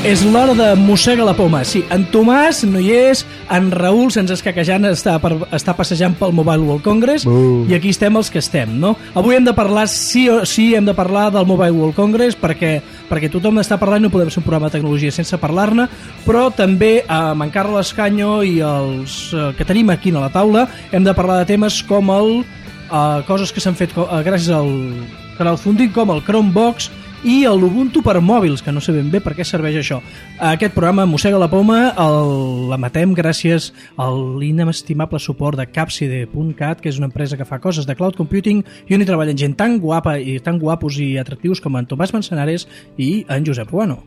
És l'hora de Mossega la Poma. Sí, en Tomàs no hi és, en Raül sense escaquejant està passejant pel Mobile World Congress i aquí estem els que estem, no? Avui hem de parlar, sí o sí, hem de parlar del Mobile World Congress perquè tothom està parlant i no podem fer un programa de tecnologia sense parlar-ne, però també amb en Carles Canyo i els que tenim aquí a la taula hem de parlar de temes com coses que s'han fet gràcies al crowdfunding, com el Chromebox i l'Ubuntu per mòbils, que no sé ben bé per què serveix això. Aquest programa Mossega la Poma l'emetem gràcies a l'inestimable suport de Capside.cat, que és una empresa que fa coses de cloud computing i on hi treballen gent tan guapa i tan guapos i atractius com en Tomàs Manzanares i en Josep Ruano.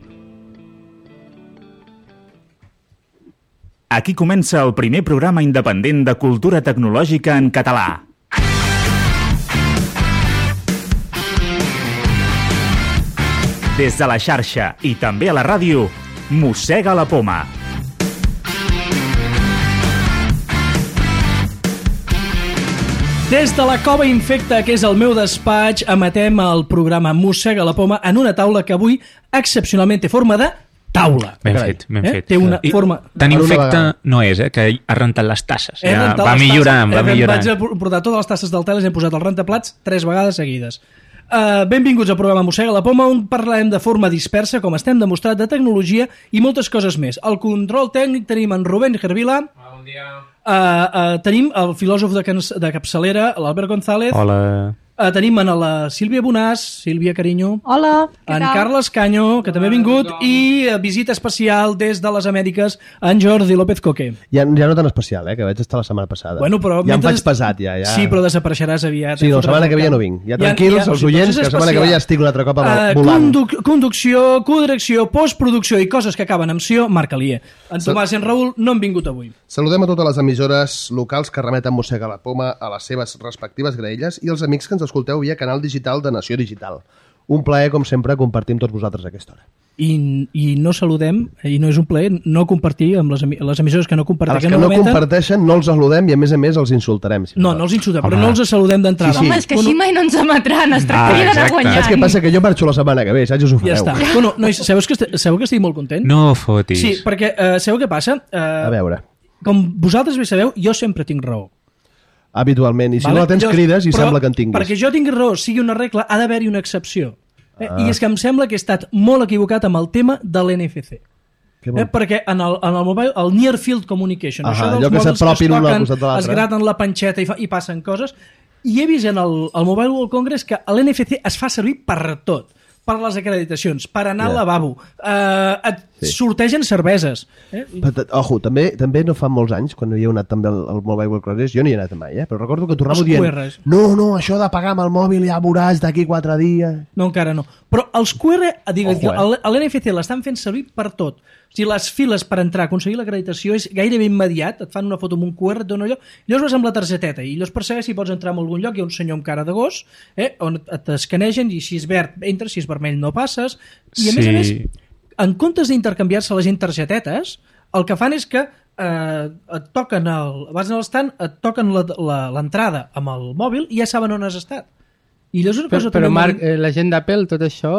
Aquí comença el primer programa independent de cultura tecnològica en català. Des de la xarxa i també a la ràdio, Mossega la Poma. Des de la Cova Infecta, que és el meu despatx, emetem el programa Mossega la Poma en una taula que avui excepcionalment té forma de taula. Ben fet. Té una forma... Tan infecte no és, que ha rentat les tasses. Va millorant. Vaig portar totes les tasses del teles i hem posat el rentaplats 3 vegades seguides. Benvinguts al programa Mossega la Poma, on parlarem de forma dispersa, com estem demostrat, de tecnologia i moltes coses més. Al control tècnic tenim en Rubén Gervila. Bon dia. Tenim el filòsof de capçalera, l'Albert González. Hola. Tenim en la Sílvia Bonàs. Sílvia, carinyo. Hola, què tal? En Carles Canyo, que també ha vingut, i visita especial des de les Amèriques, en Jordi López Coque. Ja no tan especial, que vaig estar la setmana passada. Bueno, però ja em faig pesat, ja. Sí, però desapareixeràs aviat. Sí, la setmana que ve ja no vinc. Ja tranquils, els oients, que la setmana que ve ja estic un altre cop volant. Conducció, codirecció, postproducció i coses que acaben amb ció, Marc Alier. En Tomàs i en Raül no han vingut avui. Saludem a totes les emissores locals que remeten Mossega la Poma a les seves respectives graelles i els amics que ens escolteu via canal digital de Nació Digital. Un plaer, com sempre, compartir amb tots vosaltres aquesta hora. I no saludem, i no és un plaer, no compartir amb les emissores que no comparteixen. Els que no comparteixen no els saludem i a més els insultarem. No els insultem, però no els saludem d'entrada. Home, és que així mai no ens emetran, es tractaria d'anar guanyant. Saps què passa? Que jo marxo la setmana que ve, saps? Us ho fareu. Ja està. Bueno, nois, sabeu que estic molt content? No fotis. Sí, perquè sabeu què passa? A veure. Com vosaltres bé sabeu, jo sempre tinc raó. Habitualment, i si no la tens crides i sembla que en tinguis. Perquè jo tingui raó, sigui una regla, ha d'haver-hi una excepció. I és que em sembla que he estat molt equivocat amb el tema de l'NFC. Perquè en el mobile, el Near Field Communication, això dels mòbils que es toquen, es graten la panxeta i passen coses, i he vist en el Mobile World Congress que l'NFC es fa servir per tot. Per les acreditacions, per anar al lavabo, et sortegen cerveses. Ojo, també no fa molts anys, quan hi he anat també al Mobile World Congress, jo no hi he anat mai, però recordo que tornava dient no, això de pagar amb el mòbil ja veuràs d'aquí 4 dies. No, encara no. Però els QR, l'NFC l'estan fent servir per tot. O sigui, les files per entrar, aconseguir l'acreditació és gairebé immediat, et fan una foto amb un QR, et dona allò, llavors vas amb la targeteta i llavors per saber si pots entrar en algun lloc, hi ha un senyor amb cara de gos, on t'escanegen i si és verd entres, si és vermell no passes, i a més, en comptes d'intercanviar-se la gent targetetes, el que fan és que et toquen vas a l'estand, et toquen l'entrada amb el mòbil i ja saben on has estat. Però Marc, la gent d'Apple, tot això...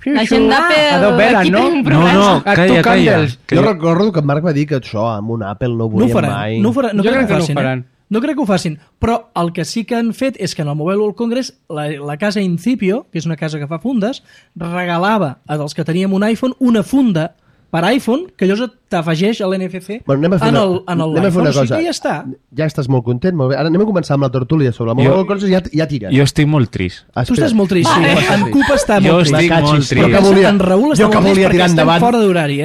La gent d'Apple, aquí tenim un No, problema. Jo recordo que en Marc va dir que això amb un Apple no ho volien mai. No crec que ho faran. No crec que ho facin, però el que sí que han fet és que en el Mobile World Congress la casa Incipio, que és una casa que fa fundes, regalava als que teníem un iPhone una funda per iPhone, que allò t'afegeix a l'NFC en l'iPhone, sí que ja està. Ja estàs molt content, molt bé. Ara anem a començar amb la tertúlia sobre el Mobile World Congress, ja tires. Jo estic molt trist. Tu estàs molt trist, sí. En Cup està molt trist. Jo estic molt trist. En Raül està molt trist perquè estem fora d'horari,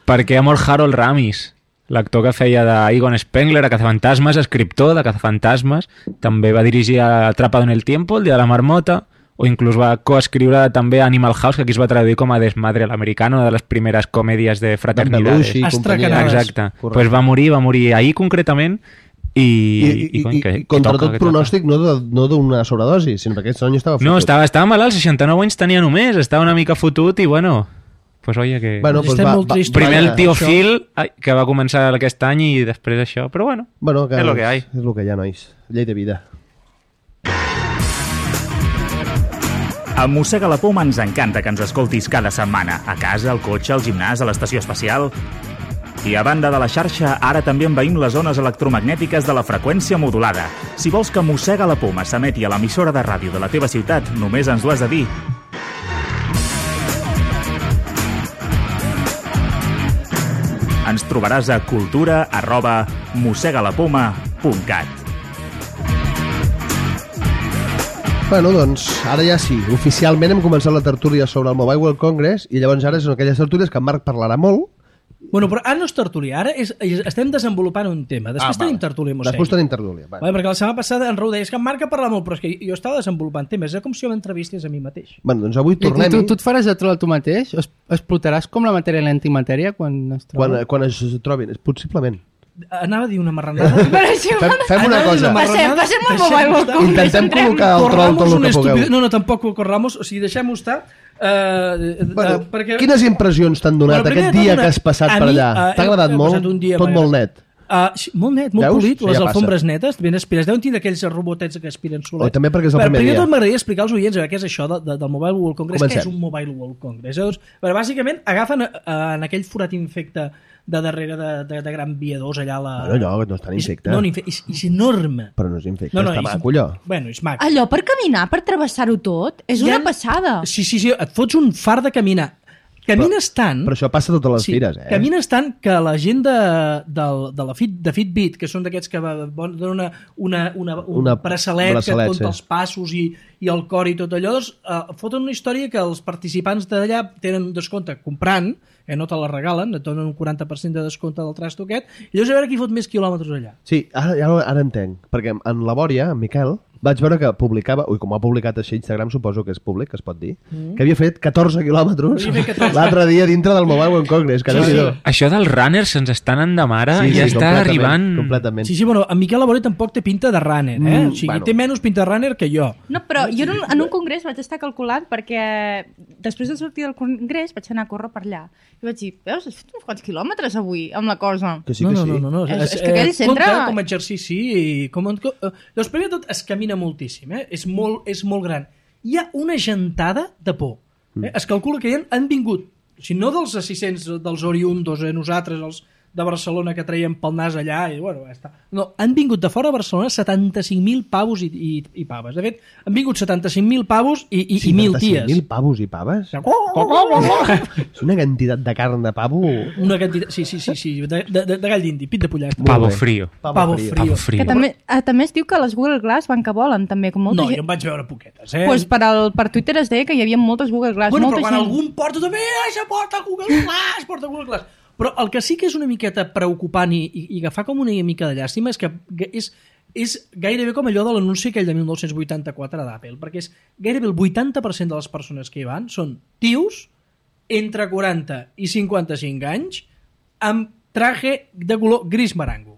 Perquè ha mort Harold Ramis, l'actor que feia d'Egon Spengler a Cazafantasmes, escriptor de Cazafantasmes, també va dirigir Atrapado en el Tiempo, el dia de la marmota, o inclús va coescriure també Animal House, que aquí es va traduir com a Desmadre l'americano, una de les primeres comèdies de fraternidades. Exacte. Pues va morir ahir concretament i contra tot pronòstic no d'una sobredosi, sinó perquè aquest senyor estava fotut. No, estava malalt, 69 anys tenia només, estava una mica fotut i bueno... Pues oye, que... primer el tio Phil, que va començar aquest any i després això, però bueno és lo que hay. És lo que hi ha, nois. Llei de vida. A Mossega la Poma ens encanta que ens escoltis cada setmana, a casa, al cotxe, al gimnàs, a l'estació espacial. I a banda de la xarxa, ara també envaïm les ones electromagnètiques de la freqüència modulada. Si vols que Mossega la Poma s'emeti a l'emissora de ràdio de la teva ciutat, només ens ho has de dir. Ens trobaràs a cultura@mossegalapoma.cat. Bueno, doncs, ara ja sí. Oficialment hem començat la tertúlia sobre el Mobile World Congress i llavors ara són aquelles tertúlies que en Marc parlarà molt. Bueno, però ara no és tertúlia, ara estem desenvolupant un tema. Després tenim tertúlia Mossega. Després tenim tertúlia. Vale, perquè la setmana passada en Raúl deia que en Marc parla molt, però és que jo estava desenvolupant temes. És com si jo m'entrevistés a mi mateix. Bueno, doncs avui tornem... Tu et faràs de troll tu mateix? Explotaràs com la matèria i l'antimatèria quan es troben? Quan es trobin, possiblement. Anava a dir una marranada. Fem una cosa. Passem al Mobile World Congress. Intentem col·locar el troll tot el que pugueu. No, tampoc corramos. O sigui, deixem-ho estar. Perquè... Quines impressions t'han donat aquest dia que has passat per allà? T'ha agradat molt? Tot molt net? Molt net, molt polit, les alfombres netes, ben aspires. Deuen tenir d'aquells robotets que aspiren solet. També perquè és el primer dia. Primer tot m'agradaria explicar als oients què és això del Mobile World Congress. Què és un Mobile World Congress? Bàsicament agafen en aquell forat infecte de darrere de gran viadors allà allò no és tan infecte. No, és enorme. Però no és infecte, està maco allò. Bueno, és maco. Allò per caminar, per travessar-ho tot, és una passada. Sí, et fots un far de caminar. Camines tant... Però això passa a totes les fires, Camines tant que la gent de Fitbit, que són d'aquests que donen un braçalet que et compta els passos i el cor i tot allò, doncs foten una història que els participants d'allà tenen descompte comprant, no te la regalen, et donen un 40% de descompte del trasto aquest, i llavors a veure qui fot més quilòmetres allà. Sí, ara entenc, perquè en la Bòria, en Miquel, vaig veure que publicava, com ha publicat així Instagram, suposo que és públic, que es pot dir, que havia fet 14 quilòmetres l'altre dia dintre del Mobile World Congress. Això dels runners se'ns estan endemara i ja està arribant... Completament. Sí, bueno, en Miquel Labori tampoc té pinta de runner, O sigui, té menys pinta de runner que jo. No, però jo en un congrés vaig estar calculant perquè després de sortir del congrés vaig anar a córrer per allà. I vaig dir, veus, has fet uns quants quilòmetres avui amb la cosa. Que sí, que sí. No. És que aquell centre... Compte com a exercici i doncs primer tot es camina moltíssim, és molt gran. Hi ha una gentada de por. Es calcula que han vingut, si no dels assistents dels oriundos, nosaltres, els de Barcelona que traiem pel nas allà, i bueno, ja està. No, han vingut de fora a Barcelona 75.000 pavos i paves. De fet, han vingut 75.000 pavos i 1.000 ties. 75.000 pavos i paves? És una quantitat de carn de pavo... Una quantitat, sí, de gall d'indi, pit de pollastre. Pavo frío. Pavo frío. Que també es diu que les Google Glass van que volen, també, com molta gent. No, jo en vaig veure poquetes, Pues per Twitter es deia que hi havia moltes Google Glass. Bueno, però quan algun porta també, ja porta Google Glass. Però el que sí que és una miqueta preocupant i que fa com una mica de llàstima és que és gairebé com allò de l'anunci aquell de 1984 d'Apple, perquè és gairebé el 80% de les persones que hi van són tios entre 40 i 55 anys amb traje de color gris marango.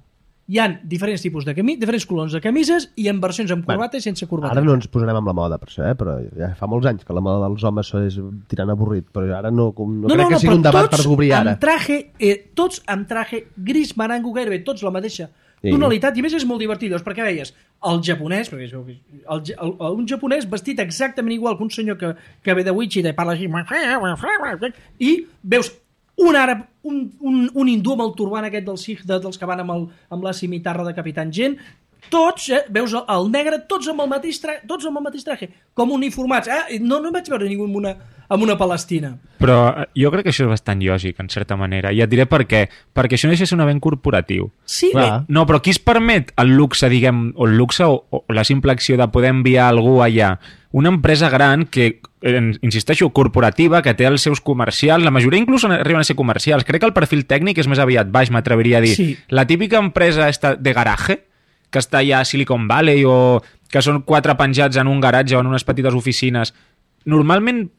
Hi ha diferents tipus de diferents colors de camises i en versions amb corbata i sense corbata. Ara no ens posarem amb la moda, per això, però ja fa molts anys que la moda dels homes és tirant avorrit, però ara no crec que sigui un debat per obrir ara. Tots amb traje gris marango, gairebé tots la mateixa tonalitat, i a més és molt divertit, perquè veies el japonès, un japonès vestit exactament igual que un senyor que ve de Wichita i parla així, i veus un àrab, un hindú amb el turbant aquest del Sikh, dels que van amb la cimitarra de Capitán Gent, tots, veus el negre, tots amb el mateix traje, com uniformats. No vaig veure ningú amb una palestina. Però jo crec que això és bastant lògic, en certa manera. I et diré per què. Perquè això no deixa de ser un event corporatiu. Sí. No, però qui es permet el luxe, diguem, o el luxe o la simple acció de poder enviar algú allà? Una empresa gran que, insisteixo, corporativa, que té els seus comercials, la majoria inclús arriben a ser comercials. Crec que el perfil tècnic és més aviat baix, m'atreviria a dir. Sí. La típica empresa de garaje, que està allà a Silicon Valley o que són 4 penjats en un garatge o en unes petites oficines, normalment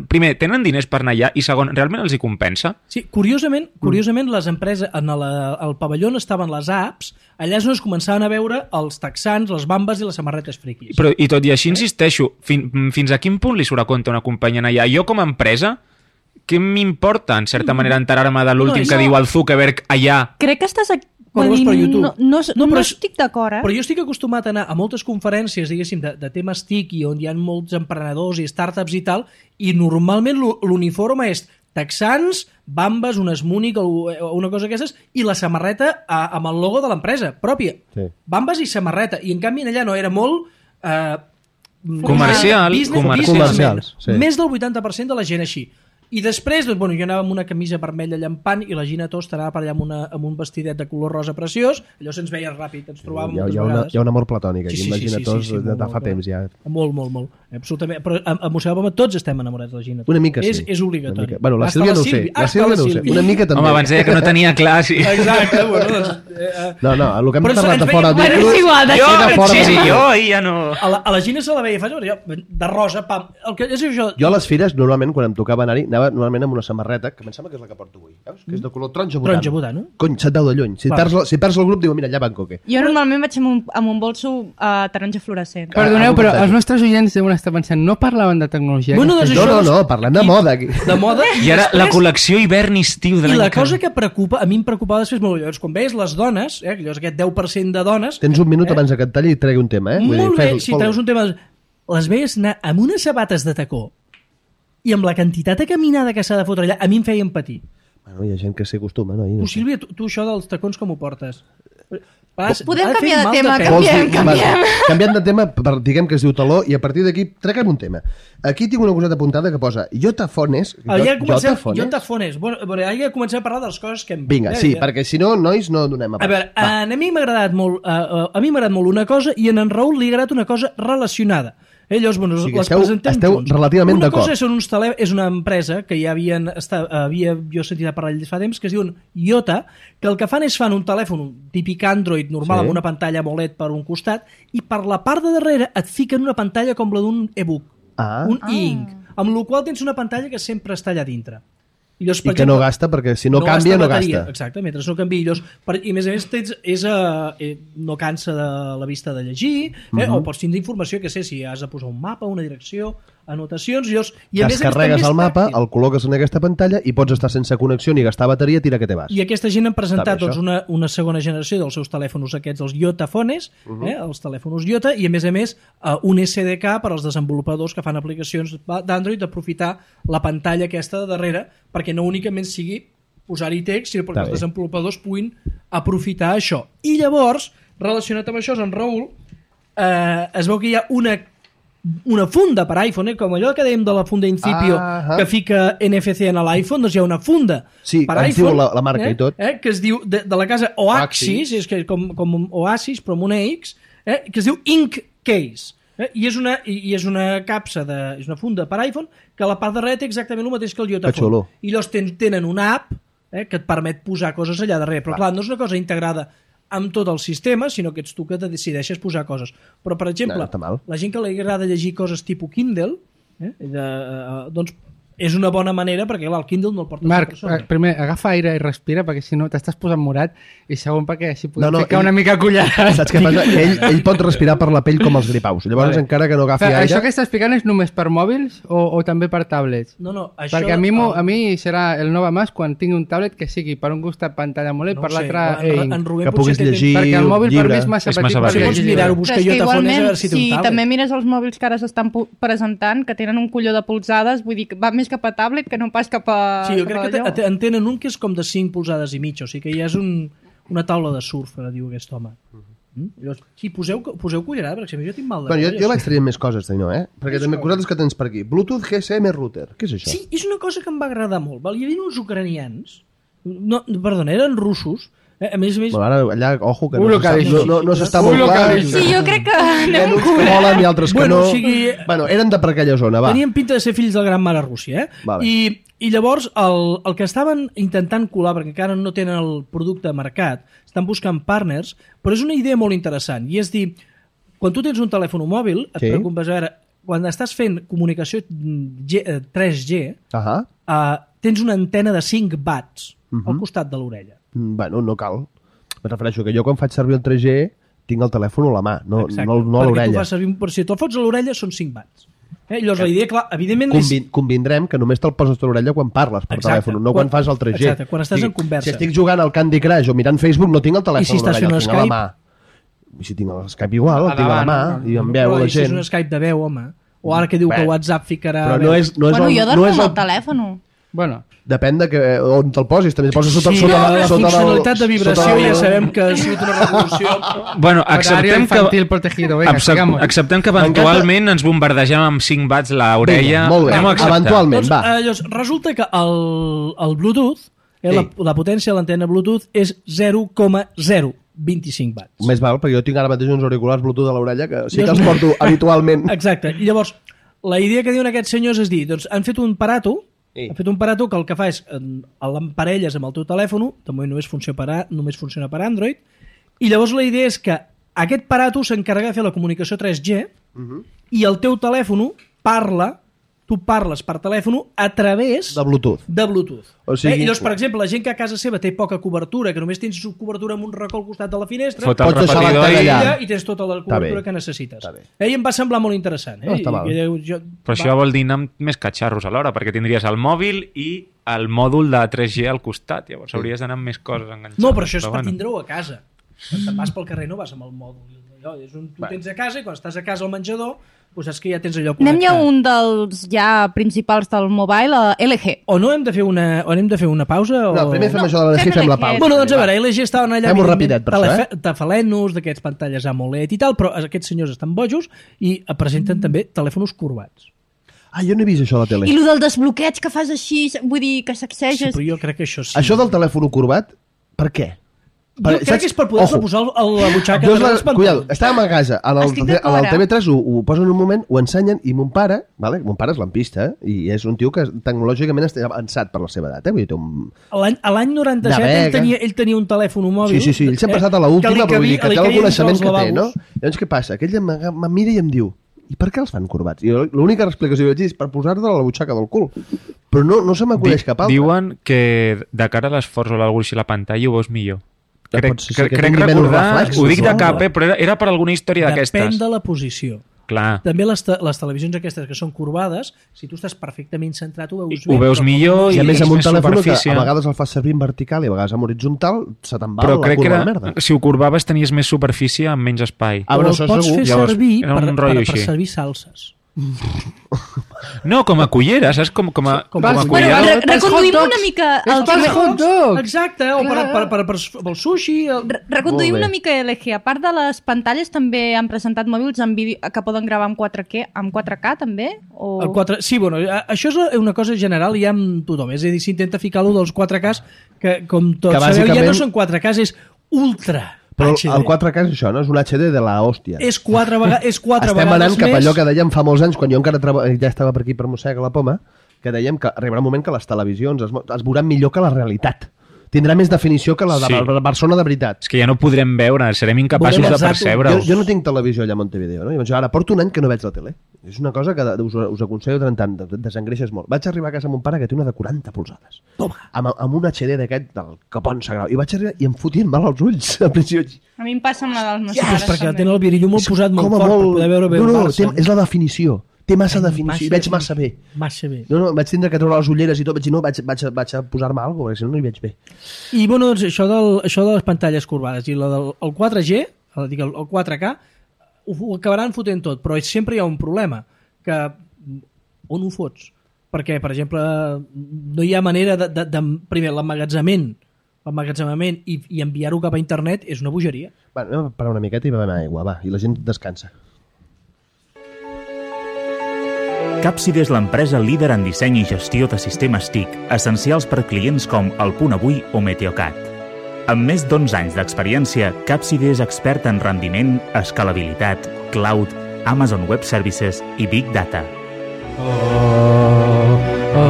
primer, tenen diners per anar allà i segon, realment els hi compensa? Sí, curiosament les empreses, al pavelló on estaven les apps, allà és on es començaven a veure els texans, les bambes i les samarretes friquis. Però, i tot i així, insisteixo, fins a quin punt li surt a compte una companyia allà? Jo com a empresa, què m'importa, en certa manera, enterar-me de l'últim que diu el Zuckerberg allà? Crec que estàs Quan ho veus per YouTube. No estic d'acord, Però jo estic acostumat a anar a moltes conferències, diguéssim, de temes TIC i on hi ha molts emprenedors i startups i tal, i normalment l'uniforme és texans, bambes, un Smunic o una cosa d'aquestes, i la samarreta amb el logo de l'empresa pròpia. Sí. Bambes i samarreta. I en canvi allà no, era molt... Comercial. Comercials, sí. Més del 80% de la gent així. I després, doncs, bueno, jo anava amb una camisa vermella llampant i la Gina Tost anava per allà amb un vestidet de color rosa preciós, allò se'ns veia ràpid, ens trobàvem moltes vegades. Hi ha un amor platònic aquí, imagina Tost de fa temps ja. Molt, absolutament. Però a Mossèn Albama tots estem enamorats de la Gina Tost. Una mica sí. És obligatori. Bueno, la Sílvia no ho sé. La Sílvia no ho sé. Una mica també. Home, abans deia que no tenia clar, sí. Exacte, bueno, doncs... No, el que hem Però parlat de ens fora... Bueno, és igual, Jo ahir ja no... A la Gina se la veia fàcil, de rosa, pam. El que és això... Jo a les fires, normalment, quan em tocava anar-hi, anava normalment amb una samarreta, que em sembla que és la que porto avui, veus? Que és de color taronja botano. Taronja botano. Cony, se't deu de lluny. Si perds el grup, diu, mira, allà van coque. Jo normalment vaig amb un bolso taronja fluorescent. Perdoneu, però els nostres oients deuen estar pensant, no parlaven de tecnologia? Bueno, doncs No, parlem de moda aquí. De moda. I ara la col·lecció hivern-estiu de I l'any la cosa que preocupa, a mi em preocupava després molt, llavors, quan veies les dones, allò és aquest 10% de dones... Tens un minut abans que et talli i tregui un tema, Molt bé, si treus un tema... Les veies anar amb unes sabates de tacó i amb la quantitat de caminada que s'ha de fotre allà, a mi em feien patir. Bueno, hi ha gent que s'hi acostuma, no? Tu, Sílvia, tu això dels tacons com ho portes? Podem canviar de tema, Canviant de tema, diguem que es diu taló, i a partir d'aquí treguem un tema. Aquí tinc una coseta apuntada que posa Yotafones. Yotafones. Bueno, ja comencem a parlar de les coses que hem... Vinga, sí, perquè si no, nois, no donem a veure, a mi m'ha agradat molt una cosa i a en Raül li ha agradat una cosa relacionada. Llavors, bueno, les presentem esteu junts. relativament d'acord. Una cosa és una empresa que ja havia jo sentit a parlar fa temps, que es diuen Yota, que el que fan és fan un telèfon un típic Android normal amb una pantalla AMOLED per un costat i per la part de darrere et fiquen una pantalla com la d'un e-book, un e-ink, amb la qual tens una pantalla que sempre està allà dintre. I que no gasta, perquè si no canvia, no gasta. Exacte, mentre no canvia. I a més a més no cansa de la vista de llegir, o pots tindre informació, que sé, si has de posar un mapa, una direcció, anotacions... Descarregues el mapa, el col·loques en aquesta pantalla i pots estar sense connexió ni gastar bateria, tira que te vas. I aquesta gent han presentat una segona generació dels seus telèfons aquests, els Yotafones, els telèfons Yota, i a més un SDK per als desenvolupadors que fan aplicacions d'Android d'aprofitar la pantalla aquesta de darrere, perquè no únicament sigui posar-hi text, sinó perquè els desenvolupadors puguin aprofitar això. I llavors, relacionat amb això, en Raül, es veu que hi ha una funda per iPhone, com allò que dèiem de la funda Incipio, que fica NFC en l'iPhone, doncs hi ha una funda per iPhone, diu la marca i tot, que es diu, de la casa Oasis, és que com Oasis, però amb una X, que es diu Ink Case. I és una capsa, és una funda per iPhone, que a la part darrere té exactament el mateix que el Yotaphone. I llavors tenen una app que et permet posar coses allà darrere, però clar, no és una cosa integrada amb tot el sistema, sinó que ets tu que decideixes posar coses. Però, per exemple, la gent que li agrada llegir coses tipus Kindle, doncs és una bona manera, perquè clar, el Kindle no el porta Marc, primer, agafa aire i respira, perquè si no t'estàs posant morat, i segon perquè així podem ficar una mica collada. Saps què passa? Ell pot respirar per la pell com els gripaus, llavors encara que no agafi aire... Això que estàs explicant és només per mòbils o també per tablets? No, això... Perquè a mi serà el Nova Mas quan tingui un tablet que sigui per un costat pantalla AMOLED, per l'altre que puguis llegir llibre. Perquè el mòbil per mi és massa petit per llegir. Pots mirar-ho, buscar Yotafones, a veure si té un tablet. Si també mires els mòbils que ara s'estan presentant, que tenen un colló de polzades, vull dir, va més cap a tablet que no pas cap a... Sí, jo crec que en tenen un que és com de 5 polzades i mitja, o sigui que ja és una taula de surf, diu aquest home. Sí, poseu cullerada, perquè jo tinc mal de... Jo vaig traient més coses, perquè també coses que tens per aquí. Bluetooth GSM router, què és això? Sí, és una cosa que em va agradar molt. Hi havia uns ucranians, perdona, eren russos, a més... Ara, allà, ojo, que no s'està molt clar. Sí, jo crec que anem uns que volen i altres que no. Bueno, eren de per aquella zona, va. Tenien pinta de ser fills del gran mare Rússia, I llavors el que estaven intentant colar, perquè encara no tenen el producte a mercat, estan buscant partners, però és una idea molt interessant, i és dir, quan tu tens un telèfon mòbil, et preocupes, a veure, quan estàs fent comunicació 3G, tens una antena de 5 watts al costat de l'orella. Bueno, no cal. Me refereixo que jo quan faig servir el 3G tinc el telèfon a la mà, no a l'orella. Perquè tu fas servir, si te'l fots a l'orella són 5 watts. Llavors la idea, clar, evidentment... Convindrem que només te'l poses a l'orella quan parles per telèfon, no quan fas el 3G. Exacte, quan estàs en conversa. Si estic jugant al Candy Crush o mirant Facebook, no tinc el telèfon a l'orella, el tinc a la mà. I si tinc el Skype igual, el tinc a la mà, i em veu la gent. Si és un Skype de veu, home. O ara que diu que WhatsApp ficarà... Però no és jo dormo amb el telèfon. Bueno, depèn de on te'l posis, també poses sota la funcionalitat de vibració ja sabem que ha sigut una revolució. Bueno, acceptem acceptem que eventualment ens bombardegem amb 5 watts l'orella. Molt bé, eventualment, va. Llavors, resulta que el Bluetooth, la potència de l'antena Bluetooth és 0,025 watts. Més val, perquè jo tinc ara mateix uns auriculars Bluetooth a l'orella que sí que els porto habitualment. Exacte, i llavors la idea que diuen aquests senyors és dir, doncs han fet un aparato que el que fa és l'emparelles amb el teu telèfon, de moment només funciona per Android, i llavors la idea és que aquest aparato s'encarrega de fer la comunicació 3G i el teu telèfon tu parles per telèfon a través de Bluetooth. O sigui, llavors, per exemple, la gent que a casa seva té poca cobertura, que només tens cobertura amb un racó al costat de la finestra, pots deixar l'antena i tens tota la cobertura que necessites. Em va semblar molt interessant. No està mal. Però això vol dir anar amb més catxarros alhora, perquè tindries el mòbil i el mòdul de 3G al costat. Llavors hauries d'anar amb més coses enganxades. No, però això és per tindre-ho a casa. Quan te'n vas pel carrer no vas amb el mòdul. Tu tens a casa i quan estàs a casa al menjador doncs saps que ja tens allò connectat. Anem ja un dels principals del mobile, LG. O no hem de fer una pausa? No, primer fem això de l'LG i fem la pausa. Bueno, doncs a veure, LG estaven allà fem-ho tafalenos d'aquests pantalles AMOLED i tal, però aquests senyors estan bojos i presenten també telèfons corbats. Jo no he vist això a la tele. I el del desbloqueig que fas així, vull dir, que sacseges... Sí, però jo crec que això sí. Això del telèfon corbat, per què? Jo crec que és per poder-se posar a la butxaca de les pantalles. Cuidado, estàvem a casa, al TV3 ho posen un moment, ho ensenyen, i mon pare és lampista, i és un tio que tecnològicament està avançat per la seva edat. L'any 97 ell tenia un telèfon mòbil. Sí, ell sempre ha estat a l'última, però vull dir que té el coneixement que té, no? Llavors què passa? Aquell em mira i em diu, i per què els fan corbats? I l'única explicació que vaig dir és per posar-te a la butxaca del cul. Però no se m'acudeix cap altre. Diuen que de cara a l'esforç o alguna cosa així a la pantalla ho veus millor. Crec recordar, ho dic de cap, però era per alguna història d'aquestes. Depèn de la posició. Clar. També les televisions aquestes que són corbades, si tu estàs perfectament centrat ho veus bé. Ho veus millor i a més amb un telèfon que a vegades el fas servir en vertical i a vegades en horitzontal, se te'n va la curva de merda. Si ho corbaves tenies més superfície amb menys espai. Però el pots fer servir per servir salses. No, com a cullera, saps? Com a cullera. Reconduïm una mica el exacte, o pel sushi. Reconduïm una mica LG. A part de les pantalles també han presentat mòbils amb vídeo que poden gravar amb 4K també? Sí, bueno, això és una cosa general i ja amb tothom. És a dir, s'intenta ficar lo dels 4Ks que, com tots sabeu, ja no són 4Ks, és ultra. Però el 4K és això, no? És un HD de la hòstia. És 4 vegades més. Estem anant cap a allò que dèiem fa molts anys, quan jo encara ja estava per aquí per Mossega la Poma, que dèiem que arribarà un moment que les televisions es veuran millor que la realitat. Tindrà més definició que la de la persona de veritat. És que ja no podrem veure, serem incapaços de percebre-ho. Jo no tinc televisió allà a Montevideo, no? I ara porto un any que no veig la tele. És una cosa que us aconsello tant, desengreixes molt. Vaig arribar a casa amb un pare que té una de 40 polzades. Amb un HD d'aquest del Capon Sagrau. I vaig arribar i em fotien mal els ulls. A mi em passa amb la dels meus pares. Perquè tenen el virillo molt posat molt fort per poder veure bé el Barça. És la definició. Té massa definició i veig massa bé. No, vaig tindre que treure les ulleres i tot, vaig dir, no, vaig a posar-me alguna cosa, perquè si no, no hi veig bé. I, bueno, doncs, això de les pantalles corbades i el 4G, el 4K, ho acabaran fotent tot, però sempre hi ha un problema, que on ho fots? Perquè, per exemple, no hi ha manera de primer, l'emmagatzemament i enviar-ho cap a internet és una bogeria. Va, anem a parar una miqueta i bevem aigua, va, i la gent descansa. Capside és l'empresa líder en disseny i gestió de sistemes TIC, essencials per clients com El Punt Avui o Meteocat. Amb més d'11 anys d'experiència, Capside és expert en rendiment, escalabilitat, cloud, Amazon Web Services i Big Data.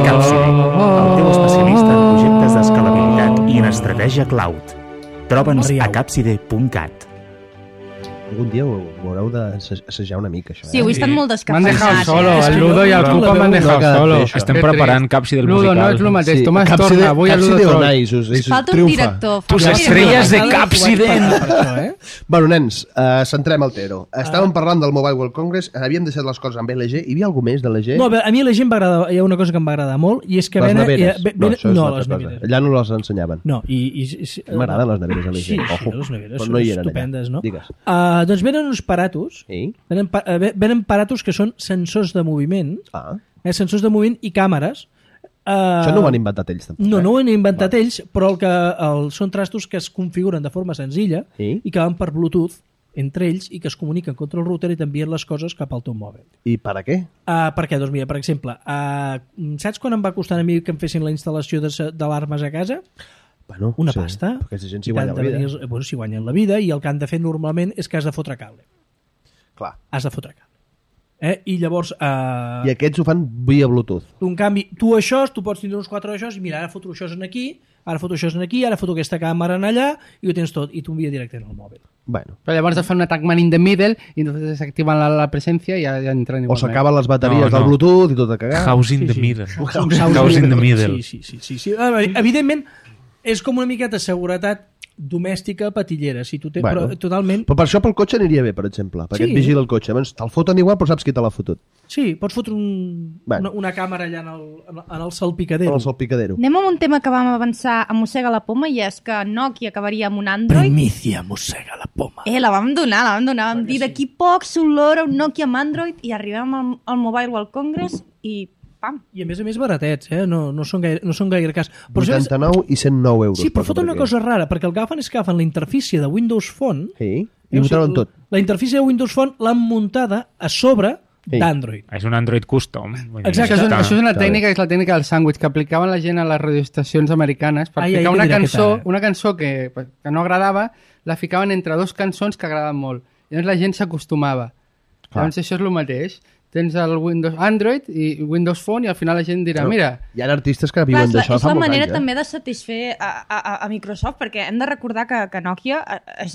Capside, el teu especialista en projectes d'escalabilitat i en estratègia cloud. Troba'ns a capside.cat. Algun dia ho haureu d'assajar una mica, això. Sí, avui estan molt M'han dejado descafeinats. solo, el Ludo i el no Cupa la m'han veu, dejado no ha solo. quedat bé, això. Estem Qué preparant trist. Capsi del Ludo, musical. no és el mateix, Tomàs torna, avui el Ludo de troll. Onais, Falta un triomfa. director. Tus falta un estrelles de director. Capsident. Bueno, nens, centrem el Tero. Estàvem parlant del Mobile World Congress, havíem deixat les coses amb LG. Hi havia alguna més de LG? No, a mi la gent m'agrada, hi ha una cosa que em va agradar molt, i és que les venen... neveres. No, això és no, una les altra cosa. neveres. Allà no les ensenyaven. No, M'agraden les neveres LG. Sí, Ojo. les neveres Però són no hi eren estupendes, allà. no? Digues. Doncs venen uns aparatos, Sí? venen aparatos que són sensors de moviment, Ah. sensors de moviment i càmeres. Això no ho han inventat ells, tampoc. No, no ho han inventat ells, però són trastos que es configuren de forma senzilla Sí? i que van per Bluetooth entre ells i que es comuniquen contra el router i t'envien les coses cap al teu mòbil. I per a què? Per què? Doncs mira, per exemple, saps quan em va costar a mi que em fessin la instal·lació d'alarmes a casa? Bueno, Una sí, pasta. Perquè aquesta gent s'hi I guanya t'han la de vida. venir bueno, s'hi guanyen la vida i el que han de fer normalment és que has de fotre cable. Clar. Has de fotre cable. I llavors... I aquests ho fan via Bluetooth. En canvi, tu pots tindre uns 4 d'això i mira, ara foto això en aquí, ara foto això en aquí, ara foto aquesta càmera en allà i ho tens tot, i t'ho envia directament al mòbil. Bueno. Però llavors et fan un attack man in the middle i entonces desactiven la presència i ja entren O igualment. s'acaben les bateries No, no. del Bluetooth i tot a cagar. House in the Sí. middle. House in the middle. Sí. Evidentment, és com una miqueta seguretat domèstica patillera, si tu Bueno. però totalment... Però per això pel cotxe aniria bé, per exemple, perquè Sí. et vigila el cotxe. Llavors, te'l foten igual, però saps qui te l'ha fotut. Sí, pots fotre Bueno. una càmera allà en el salpicadero. El salpicadero. Anem amb un tema que vam avançar a Mossega la Poma i és que Nokia acabaria amb un Android. Primicia mossega la poma. La vam donar. Vam dir d'aquí poc s'olora un Nokia amb Android i arribem al Mobile World Congress i pam. I a més baratets, no són gaire cas. Però, saps- 89 i 109 euros. Sí, però per foten una aquí. cosa rara, perquè el que agafen és que agafen la interfície de Windows Phone Sí, i ho treuen tot. La interfície de Windows Phone l'han muntada a sobre Sí. d'Android. És un Android custom. Vull dir, Exacte. està- Això és una Està tècnica, que és la tècnica del sàndwich, que aplicaven la gent a les radioestacions americanes per Ai, ficar què una dirà cançó, aquesta? una cançó que no agradava, la ficaven entre dos cançons que agradaven molt. I llavors la gent s'acostumava. Llavors això és el mateix. Tens el Windows Android i Windows Phone i al final la gent dirà, Però mira, hi ha artistes que Clar, viuen és d'això és fa la molts manera anys, també de satisfer a Microsoft, perquè hem de recordar que Nokia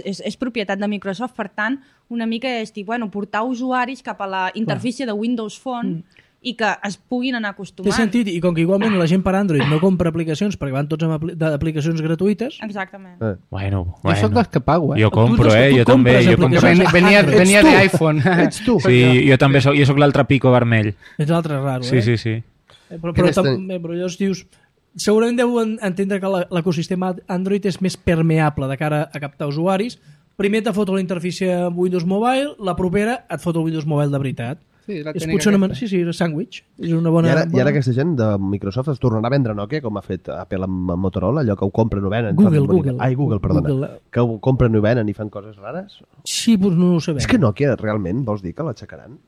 és propietat de Microsoft, per tant, una mica és dir, bueno, portar usuaris cap a la interfície de Windows Phone i que es puguin anar Té acostumant. sentit, i com que igualment la gent per Android no compra aplicacions perquè van tots amb d'aplicacions gratuïtes, Exactament. Bueno. jo sóc dels que pago, Jo compro, Tu jo també. compres Jo Que compro. aplicacions. venia Ets tu. d'iPhone. Ets tu. Sí, jo també soc, jo soc l'altre pico vermell. és l'altre raro, Sí, eh? sí, sí. Però Què però llavors dius, segurament deuen entendre que l'ecosistema Android és més permeable de cara a captar usuaris. Primer te foto la interfície Windows Mobile, la propera et foto el Windows Mobile de veritat. Sí, la És tècnica potser una... aquesta. Sí, és sàndwich. És una bona... I ara aquesta gent de Microsoft es tornarà a vendre Nokia, com ha fet Apple amb Motorola, allò que ho compren i ho venen. Google. Ai, Google, perdona. Google. Que ho compren i ho venen i fan coses rares. Sí, doncs no ho sabem. És que Nokia, realment, vols dir que l'aixecaran?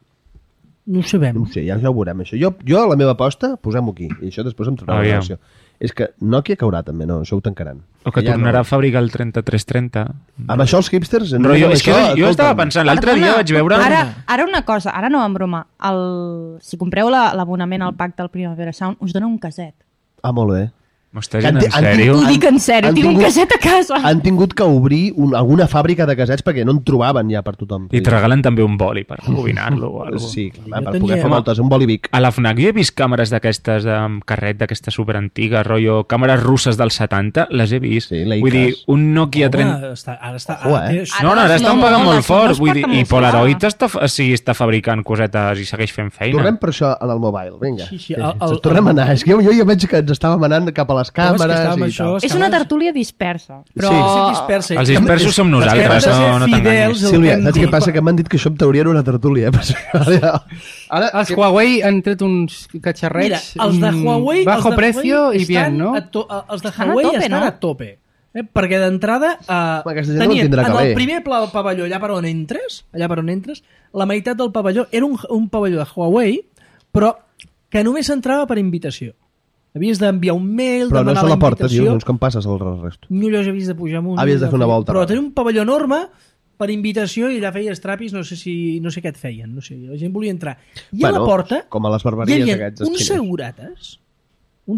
No ho sabem. No ho sé, ja ho veurem, això. Jo la meva aposta, posem-ho aquí, i això després em traurà la Aviam. relació. És que Nokia caurà també, no? Això ho tancaran. O que Ja tornarà no. a fabricar el 3330. Amb això els hipsters... Rotllo, és que jo escolta'm, estava pensant, l'altre dia vaig veure... Ara una cosa, ara no en broma. Si compreu l'abonament al pacte del Primavera Sound, us dona un caset. Ah, molt bé. M'ho estàs dient en Han- sèrio? Ho dic en sèrio, han tinc un tingut- caset a casa. Han tingut que obrir alguna fàbrica de casets perquè no en trobaven ja per tothom. I te regalen també un boli per rebobinar-lo o alguna cosa. Sí, clar, Jo per tenia- poder fer Home, moltes, un boli Vic. A la FNAC jo he vist càmeres d'aquestes amb carret, d'aquestes superantigues, rotllo, càmeres russes dels 70, les he vist. Sí, Leicas. Vull dir, un Nokia 30... Ara està... Ojo, ara eh? té- No, ara estan pagant molt les fort, no es vull dir, porten i molt Polaroid fort. està fabricant cosetes i segueix fent feina. Tornem per això en el mobile, vinga. Sí, Tornem a anar. És que jo ja veig que ens estàvem anant cap a les càmeres estàvem i això, tal. És una tertúlia dispersa. Però... dispersa. Els dispersos som nosaltres, Els que hem de ser no fidels t'enganyis. al Sílvia, que hem saps dit. què passa? Que m'han dit que això en teoria era una tertúlia. Ara, Els Huawei han tret uns catxarrets Mira, els de Huawei... bajo els de precio Huawei i bien, estan no? Els de Estan a Huawei tope, estan no? a tope. Perquè d'entrada aquesta gent no tenien tindrà que en el bé. primer pavelló, allà per on entres, la meitat del pavelló era un pavelló de Huawei, però que només entrava per invitació. Havies d'enviar un mail, però no demanar se la porta, invitació. tio. Doncs com passes el resto? No, allò havies de pujar amunt. Havies de fer una volta. Però tenia un pavelló enorme per invitació i allà feies trapis, no sé què et feien, no sé, la gent volia entrar. I a la porta com a les hi barberies havia aquests uns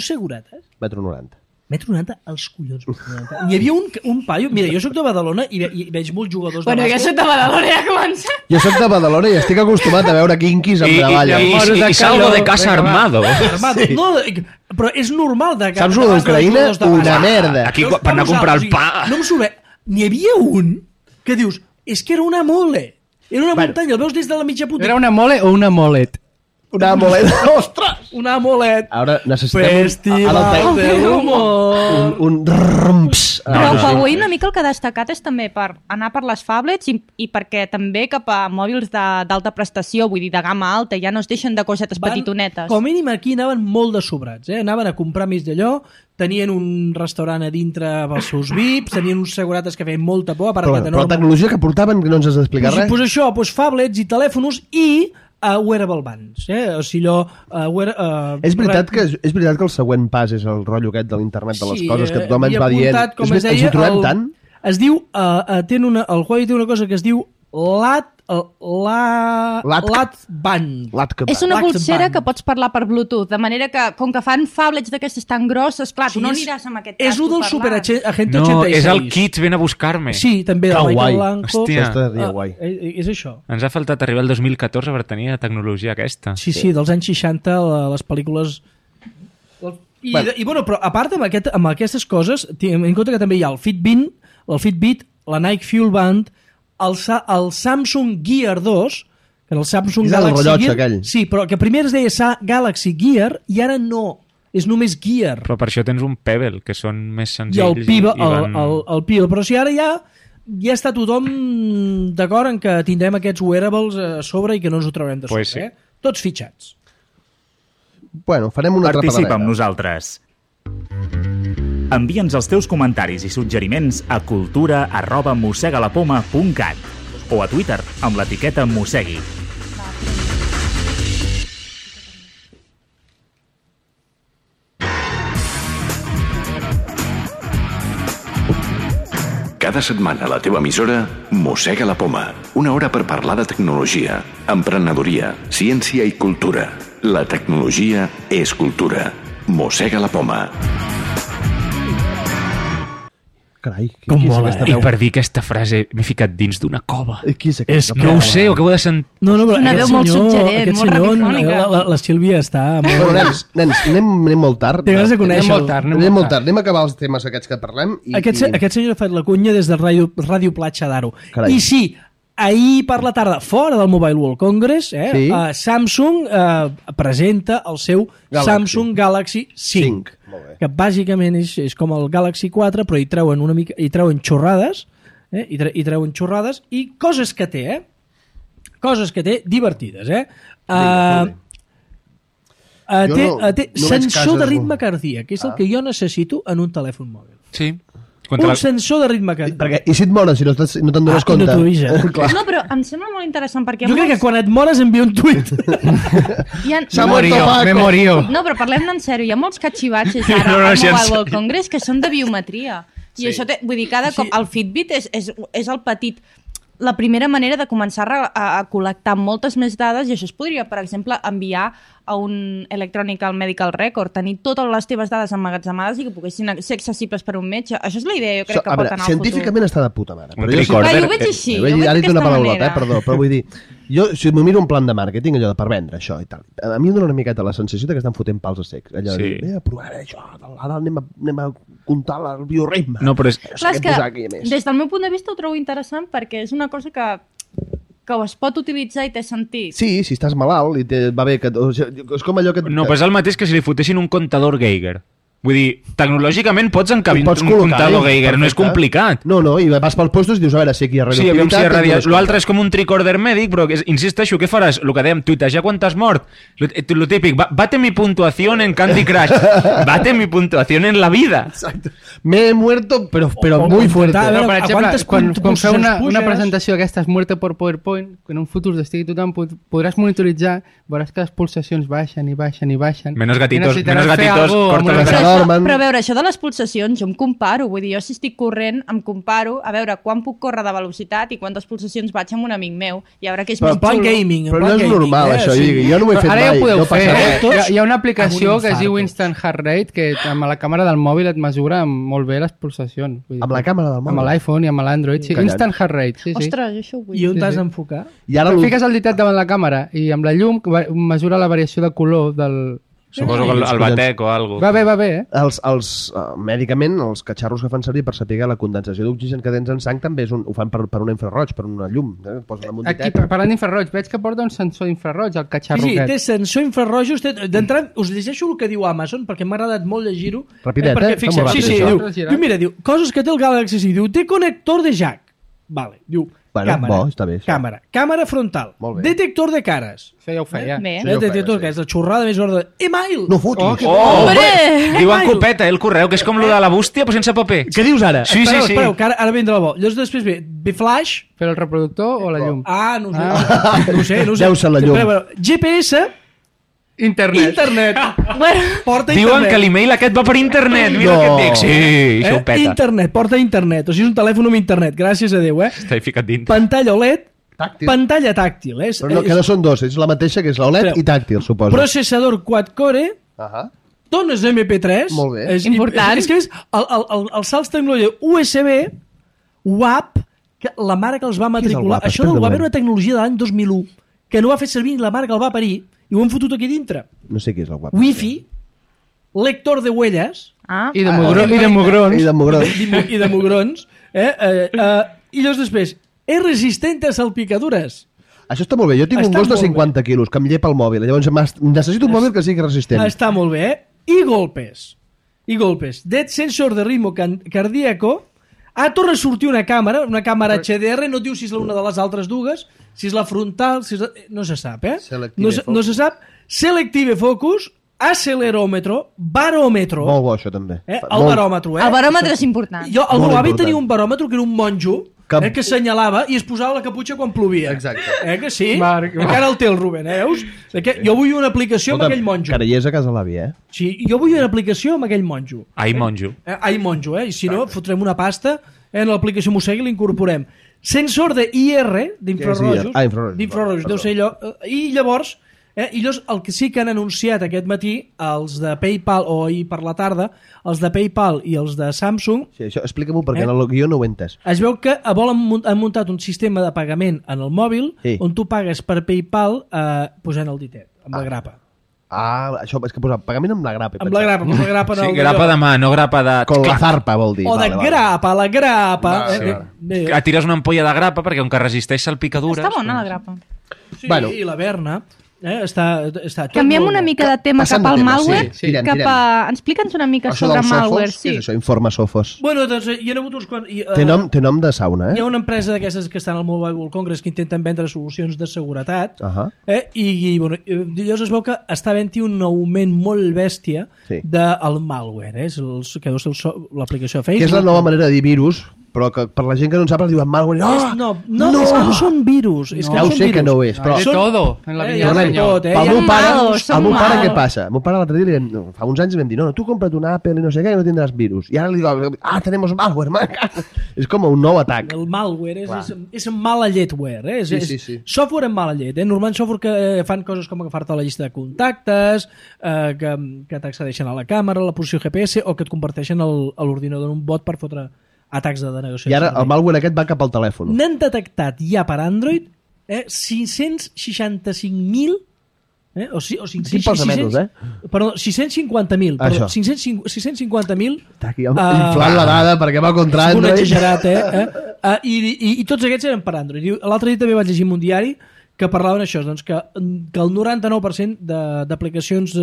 segurates, Metro 90. Metro 90 als collons. Hi havia un paio... Mira, jo soc de Badalona i veig molts jugadors de bàsquet. Jo soc de Badalona, ja comença. Jo soc de Badalona i estic acostumat a veure quinquis amb davalla. I salgo de casa armado. Sí. No, però és normal de saps lo d'Ucraïna? Una merda. Aquí per anar a comprar el pa. No em surt. N'hi havia un que dius, és que era una mole. Era una muntanya, el veus des de la mitja puta. Era una mole o una molet? Una moleta. Ostres! Una molet. Ara necessitem Festival de l'humor. un rrrms. Però avui una mica el que ha destacat és també per anar per les phablets i perquè també cap a mòbils d'alta prestació, vull dir, de gamma alta, ja no es deixen de cosetes petitonetes. Com a mínim aquí anaven molt de sobrats, anaven a comprar més d'allò, tenien un restaurant a dintre pels seus VIPs, tenien uns segurates que feien molta por. Però la tecnologia que portaven, que no ens has d'explicar res? Pues això, phablets i telèfons i wearable bands, o sigui allò... És veritat que el següent pas és el rotllo aquest de l'internet de les coses que tothom ens va dient. Ens hi trobem tant? Es diu, el Huawei té una cosa que es diu LAT band. És una pulsera que pots parlar per Bluetooth, de manera que, com que fan phablets d'aquestes tan grosses, clar, tu no aniràs amb aquest casco parlant. És un del Super Agente 86. No, és el Kids, ven a buscar-me. Sí, també de Michael Blanco. Hòstia, és això. Ens ha faltat arribar al 2014 per tenir la tecnologia aquesta. Sí, dels anys 60, les pel·lícules... I bueno, però a part amb aquestes coses, en compte que també hi ha el Fitbit, la Nike Fuel Band, el Samsung Gear 2, que era el Samsung Galaxy Gear, aquell. Sí, però que primer es deia Galaxy Gear i ara no, és només Gear. Però per això tens un Pebble, que són més senzills. I el Pebble, però si ara ja està tothom d'acord en que tindrem aquests wearables a sobre i que no ens ho traurem de sobre, sí. Tots fitxats. Bueno, farem una altra Participa amb nosaltres. Envia'ns els teus comentaris i suggeriments a cultura@mossegalapoma.cat o a Twitter amb l'etiqueta Mossegui. Cada setmana a la teva emissora Mossega la Poma. Una hora per parlar de tecnologia, emprenedoria, ciència i cultura. La tecnologia és cultura. Mossega la Poma. Carai, com mola, I per dir aquesta frase m'he ficat dins d'una cova. Qui és aquest? No ho sé, ho acabo de sentir. No, però una veu molt suggerent, molt radiofònica. La Sílvia està... Nens, anem molt tard. T'has de conèixer. Anem molt tard. Anem a acabar els temes aquests que parlem. Aquest senyor ha fet la cunya des de Ràdio Platja d'Aro. I sí, ahir per la tarda, fora del Mobile World Congress, Samsung presenta el seu Samsung Galaxy 5. Que bàsicament és com el Galaxy 4, però hi treuen xorrades, hi treuen xorrades i coses que té, coses que té divertides, té sensor de ritme cardíac, que és el que jo necessito en un telèfon mòbil. Sí. Un sensor de ritme cardíac. I si et mores, si no te'n dones compte? No t'ho avisa. No, però em sembla molt interessant perquè... Jo crec que quan et mores envia un tuit. Me morio. No, però parlem-ne en sèrio. Hi ha molts catxivatges ara al Mobile World Congress que són de biometria. I això, vull dir, cada cop el Fitbit és el petit... La primera manera de començar a col·lectar moltes més dades, i això es podria, per exemple, enviar a un Electronic Medical Record, tenir totes les teves dades emmagatzemades i que poguessin ser accessibles per un metge. Això és la idea, jo crec que pot anar al futur. Científicament està de puta mare. Un tricorder. Jo ho veig així, Ara he dit una paraulota, perdó, però vull dir... Jo, si m'ho miro un plan de màrqueting, allò de per vendre això i tal, a mi em dona una miqueta la sensació que estan fotent pals a secs. Allò de dir, provaré això, ara anem a comptar el bioritme. No, però és... Clar, és que des del meu punt de vista ho trobo interessant perquè és una cosa que es pot utilitzar i té sentit. Sí, si estàs malalt i va bé que... És com allò que... No, però és el mateix que si li fotessin un comptador Geiger. Vull dir, tecnològicament pots encabir un comptador Geiger, no és complicat. No, i vas pels puestos i dius, a veure, si aquí hi ha radioactivitat... L'altre és com un tricorder mèdic, però insisteixo, què faràs? El que dèiem, tuitejar quan t'has mort. Lo típic, bate mi puntuación en Candy Crush. Bate mi puntuación en la vida. Exacte. Me he muerto, però muy fuerte. Però, per exemple, quan feu una presentació d'aquestes muerte per PowerPoint, que en un futur estigui tothom, podràs monitoritzar, veuràs que les pulsacions baixen i baixen i baixen. Menos gatitos, corta la dormen... Però a veure, això de les pulsacions, jo em comparo. Vull dir, jo si estic corrent, em comparo a veure quan puc córrer de velocitat i quantes pulsacions vaig amb un amic meu. I a veure què és més plan xulo. gaming. Però no és normal, això. Jo no ho he fet Ara ja mai. ho podeu No fer. passa res. Hi ha una aplicació Amb un que es diu infarto. Instant Heart Rate que amb la càmera del mòbil et mesura molt bé les pulsacions. Vull dir, Amb la càmera del mòbil? Amb l'iPhone i amb l'Android. Sí, Callant. Instant Heart Rate, sí, sí. Ostres, jo això ho vull. I on Sí, t'has sí. d'enfocar? I ara Fiques el ditat davant la càmera i amb la llum mesura la variació de color del... Suposo que el batec o alguna Va bé, eh? mèdicament, els catxarros que fan servir per saber la condensació d'oxigen que tens en sang també ho fan per un infraroig, per una llum. Posen amb un Aquí, ditet. parlant d'infraroig, veig que porta un sensor infraroig, el catxarro Sí, té aquest. sensor infrarrojos. D'entrada, us llegeixo el que diu Amazon, perquè m'ha agradat molt llegir-ho. Rapidet, perquè, està fixa't, molt sí, ràpid, sí, això. diu, coses que té el Galaxy S. Diu, té connector de jack. Vale, diu, Bueno, càmera, bo, està bé, això. càmera frontal, Molt bé. detector de cares. Això ja ho feia. Bé. Sí, ho feia, Detector sí. que és la xorrada més gorda. Email! No fotis. Hombre! Diuen copeta, el correu, que és com lo de la bústia, però sense paper. Què dius ara? Sí, Espereu, que ara vindrà el bo. Llavors després ve Flash. Però el reproductor o la llum? Ah, no ho sé. No ho sé. Deu ser la llum. Espereu, GPS, internet. Bueno, Porta Diuen internet. que l'email aquest va per internet. Mira No. què et dic. Sí, això ho peta. Internet, porta internet. O sigui, és un telèfon amb internet, gràcies a Déu, Està ficat dintre. Pantalla OLED, Tàctil. pantalla tàctil. Però no, que no són dos, és la mateixa que és l'OLED Espera. i tàctil, suposo. Processador quad-core, tones MP3. Molt bé. És Important. És que és els salts tecnologia USB, WAP, que la mare que els va matricular. WAP? Això del Explica-ho WAP bé. era una tecnologia de l'any 2001, que no va fer servir la mare que el va parir, i ho han fotut aquí dintre. No sé què és el guap. Wi-Fi, lector de huelles, I de mugrons. I de mugrons. i de mugrons, i llavors després, és resistent a salpicadures. Això està molt bé. Jo tinc un Està gos de molt bé. 50 quilos que em llepa el mòbil. Llavors necessito un mòbil que sigui resistent. Està molt bé, eh? I golpes. Dead sensor de ritmo cardíaco. Torna a sortir una càmera HDR, no et diu si és una de les altres dues, si és la frontal, si és no se sap, eh? No se sap. Selective focus, acceleròmetro, baròmetro. Molt bo, això, també. El baròmetre, el baròmetre és important. Jo, el Molt meu avi important. tenia un baròmetre que era un monjo que assenyalava i es posava la caputxa quan plovia. Exacte. Que sí? Marc. Encara el té el Rubén, veus? Jo vull una aplicació amb aquell monjo. Carallers a casa l'avi, Sí, jo vull una aplicació amb aquell monjo. Ai, monjo. Ai, monjo, I si no, fotrem una pasta en l'aplicació Mossegui i l'incorporem. Sensor de IR, d'infrarrojos. Infrarrojos. D'infrarrojos, deu ser allò. I llavors, el que sí que han anunciat aquest matí, els de PayPal, o ahir per la tarda, els de PayPal i els de Samsung, Sí, això explica-m'ho perquè en el guió no ho he entès. es veu que han muntat un sistema de pagament en el mòbil on tu pagues per PayPal posant el ditet, amb la grapa. Això és que posa pagament amb la grapa. Amb la grapa en Sí, el grapa de mà, no grapa de... Con la zarpa, vol dir. o de grapa, la grapa. Sí. Tires una ampolla de grapa perquè com que resisteix salpicadures... Està bona la grapa. Sí, Bueno. i la Berna. Està tot Canviem molt una bo. mica de tema Passant cap al de tema, malware. sí. Tirem. Explica'ns una mica Això sobre dels malware. sofos, què és això? Informa sofos. Bueno, doncs hi ha hagut uns quants... Té nom de sauna, Hi ha una empresa d'aquestes que estan al Mobile World Congress que intenten vendre solucions de seguretat bueno, llavors es veu que està havent-hi un augment molt bèstia del malware, és que deu ser l'aplicació de Facebook. Que és la nova manera de dir virus, però que per la gent que no en sap diuen malware. No, és que no són virus. És que Ja no ho són sé que virus. no ho és, però... De todo, en la Ja vinya de del senyor. tot, Pel meu Som pare, malos, som al meu pare malos. què passa? El meu pare l'altre dia, fa uns anys li vam dir, no, tu compra't un Apple i no sé què i no tindràs virus. I ara li dic, tenemos malware, man. És com un nou atac. El malware és mala lletware, Sí. software amb mala llet. Normalment software que fan coses com agafar-te la llista de contactes, que t'accedeixen a la càmera, a la posició GPS, o que et converteixen a l'ordinador en un bot per fotre atacs de denegació. I ara el malware aquest va cap al telèfon. N'han detectat ja per Android 565.000 o 500, perdó, 650.000, perdó, 650.000 Està aquí inflant la dada perquè va contra un Android. exagerat, i tots aquests eren per Android. L'altre dia també vaig llegir en un diari que parlaven això, doncs, que el 99% d'aplicacions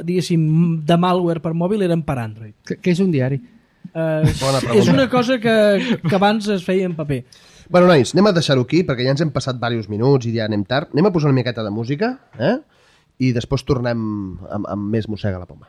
diguéssim, de malware per mòbil eren per Android. Què és un diari? És una cosa que abans es feia en paper. Bueno, nois, anem a deixar-ho aquí, perquè ja ens hem passat diversos minuts i ja anem tard. Anem a posar una miqueta de música, i després tornem amb més Mossega la Poma.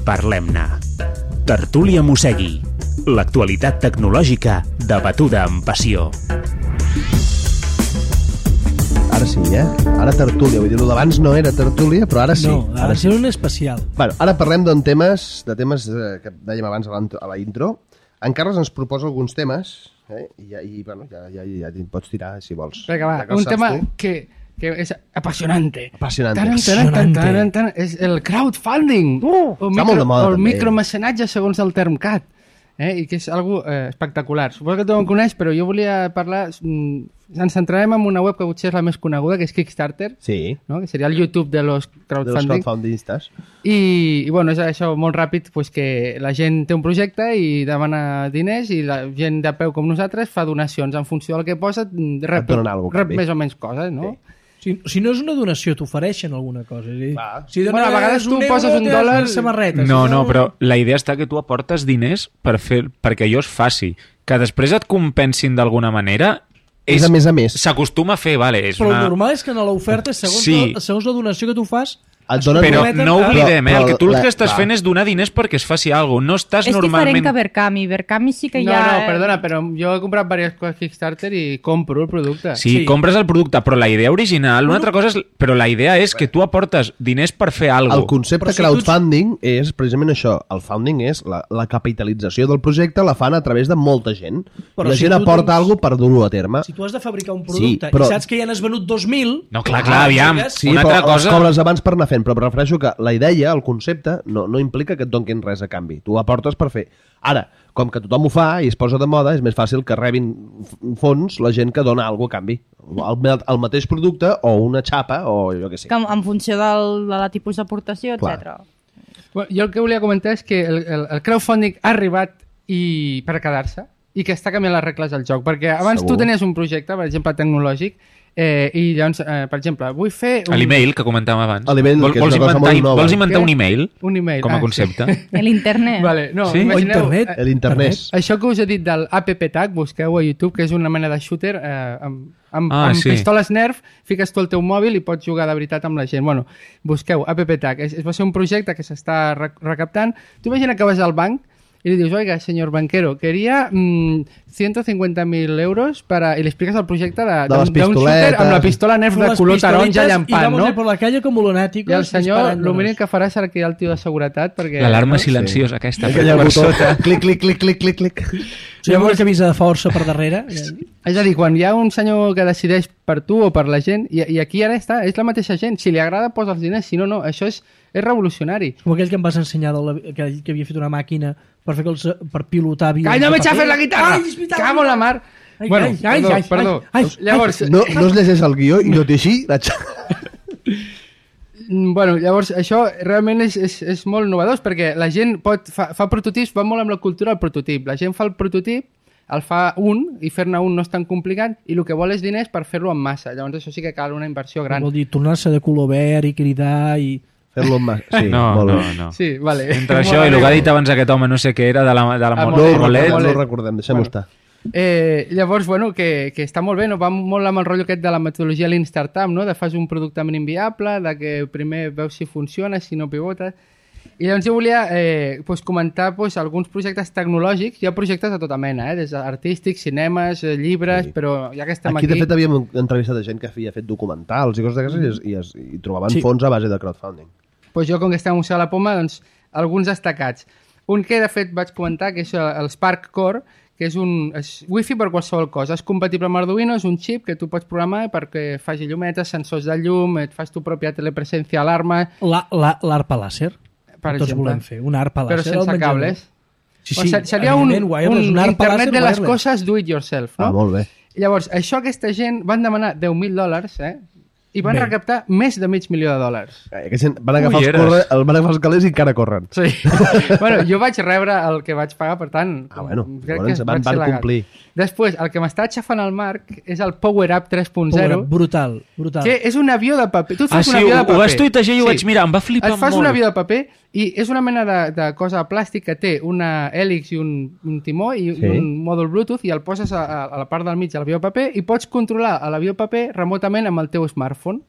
Parlem-ne. Tertúlia Mossegui. L'actualitat tecnològica debatuda amb passió. Ara sí, Ara tertúlia. Vull dir, el d'abans no era tertúlia, però ara sí. No, ara sí un especial. Bueno, ara parlem de temes que dèiem abans a la intro. En Carles ens proposa alguns temes, i bueno, ja pots tirar, si vols. Vinga, va, un tema que és apassionante. Apassionante. És el crowdfunding. Està molt de moda, o el també. micromecenatge, segons el term CAT. I que és algo espectacular. Suposo que tothom coneix, però jo volia parlar... Ens centrarem en una web que potser és la més coneguda, que és Kickstarter, Sí. no? Que seria el YouTube de los crowdfunding. crowdfundistes. I bueno, és això molt ràpid, pues, que la gent té un projecte i demana diners i la gent de peu com nosaltres fa donacions en funció del que posa, rep donen alguna cosa, més o menys coses, no? Si no és una donació, t'ofereixen alguna cosa. És a dir, si Bueno, a vegades tu €1, poses un te donen dòlar... samarreta. No, però la idea està que tu aportes diners perquè allò es faci. Que després et compensin d'alguna manera... És a més a més. S'acostuma a fer, vale. És Però el una... normal és que en l'oferta, segons la donació que tu fas, Et donen... Però no oblidem, el que tu el que estàs va. fent és donar diners perquè es faci alguna cosa. No estàs És normalment... diferent que Verkami. Verkami sí que No, hi ha... perdona, però jo he comprat diverses coses Kickstarter i compro el producte. Sí, compres el producte, però la idea original... Una altra cosa és... Però la idea és que tu aportes diners per fer alguna El cosa. concepte crowdfunding és precisament això. El founding és la capitalització del projecte, la fan a través de molta gent. Però La si gent tu aporta tens- alguna cosa per dur-ho a terme. si tu has de fabricar un Sí, producte però- i saps que ja n'has venut 2.000... No, clar, aviam. Sí, Una però altra cosa... els cobres abans per anar fent, però em refereixo que la idea, el concepte, no implica que et donquin res a canvi. Tu aportes per fer. Ara, com que tothom ho fa i es posa de moda, és més fàcil que rebin fons la gent que dona alguna cosa a canvi. El mateix producte o una xapa o jo què sé. Que en funció de la tipus d'aportació, Clar. etc. Bueno, jo el que volia comentar és que el crowdfunding ha arribat per quedar-se i que està canviant les regles del joc. Perquè abans Segur. tu tenies un projecte, per exemple, tecnològic, i llavors, per exemple, vull fer A l'email que comentàvem abans. A l'email, que és una cosa molt nova. Vols inventar Què? un email un email. com a concepte? L'internet. Vale, no, Sí? O imagineu, internet. L'internet. Això que us he dit del AppTag, busqueu a YouTube, que és una mena de shooter amb sí. pistoles Nerf, fiques tu el teu mòbil i pots jugar de veritat amb la gent. Bueno, busqueu AppTag. Va ser un projecte que s'està recaptant. Tu imagina que vas al banc y le dius, oiga, señor banquero, quería 150.000 euros para... Y le explicas el projecte d'un shooter amb la pistola Nerf de color taronja llampant, no? Y por la calle como lunáticos. I el senyor, disparándonos. el mínim que farà serà cridar el tio de seguretat perquè... L'alarma no? silenciosa aquesta. Aquella per botó, sota. clic, clic, clic, clic, clic, clic. Sí, llavors que avisa de força per darrere. És a dir, quan hi ha un senyor que decideix per tu o per la gent, i aquí ara està, és la mateixa gent. Si li agrada, posa els diners, si no, no. Això és revolucionari. Com aquell que em vas ensenyar que havia fet una màquina per pilotar avions. Calla, no de m'eixafes paper. la guitarra! Ai, és veritat, Cago en la mar! Ai, Bueno, ai, perdó. ai, Llavors, No es llegeix el guió i no té així. bueno, llavors això realment és molt innovador perquè la gent fa prototips, va molt amb la cultura del prototip. La gent fa el prototip, el fa un, i fer-ne un no és tan complicat, i el que vol és diners per fer-lo en massa. Llavors això sí que cal una inversió gran. Vol dir, tornar-se de color verd i cridar i... Fer-lo amb... Sí, No, molt no, bé. no. Sí, vale. Entre això i el que ha dit abans aquest home, no sé què era, de la No Molet. ho recordem, deixem-ho estar. Llavors, bueno, que està molt bé, no? Va molt amb el rotllo aquest de la metodologia Lean Startup, no? De fas un producte mínim viable, de que primer veus si funciona, si no pivotes. I llavors jo volia comentar alguns projectes tecnològics. Hi ha projectes de tota mena, des d'artístics, cinemes, llibres, però ja que estem Aquí, aquí... de fet, havíem entrevistat a gent que havia fet documentals i coses d'aquestes i trobaven fons a base de crowdfunding. Pues jo, com que estem a Museu de la Poma, doncs, alguns destacats. Un que, de fet, vaig comentar, que és el Spark Core, que és wifi per qualsevol cosa. És compatible amb Arduino, és un xip que tu pots programar perquè faci llumetes, sensors de llum, et fas tu pròpia telepresencia, alarma... L'arpa làser. Per Tots exemple. volem fer una arpa Però làser. al sense menjador. cables. Sí, O sigui, seria un wireless, una arpa internet làser de les wireless. coses do it yourself, no? Ah, molt bé. Llavors, això aquesta gent van demanar $10.000, i van Bé. recaptar més de $500,000. Aquesta gent van agafar els calés i encara corren. Sí. Bueno, jo vaig rebre el que vaig pagar, per tant... bueno, crec llavors que van ser legal. complir. Després, el que m'està aixafant el Marc és el Power Up 3.0, Brutal, brutal. que és un avió de paper. Tu et Ah, fas sí, un avió de ho paper. vas tuitejar i ho vaig mirar, em va flipar Et fas molt. un avió de paper i és una mena de cosa de plàstic que té una hèlix i un timó i Sí. un mòdul Bluetooth i el poses a la part del mig de l'avió de paper i pots controlar l'avió de paper remotament amb el teu smartphone.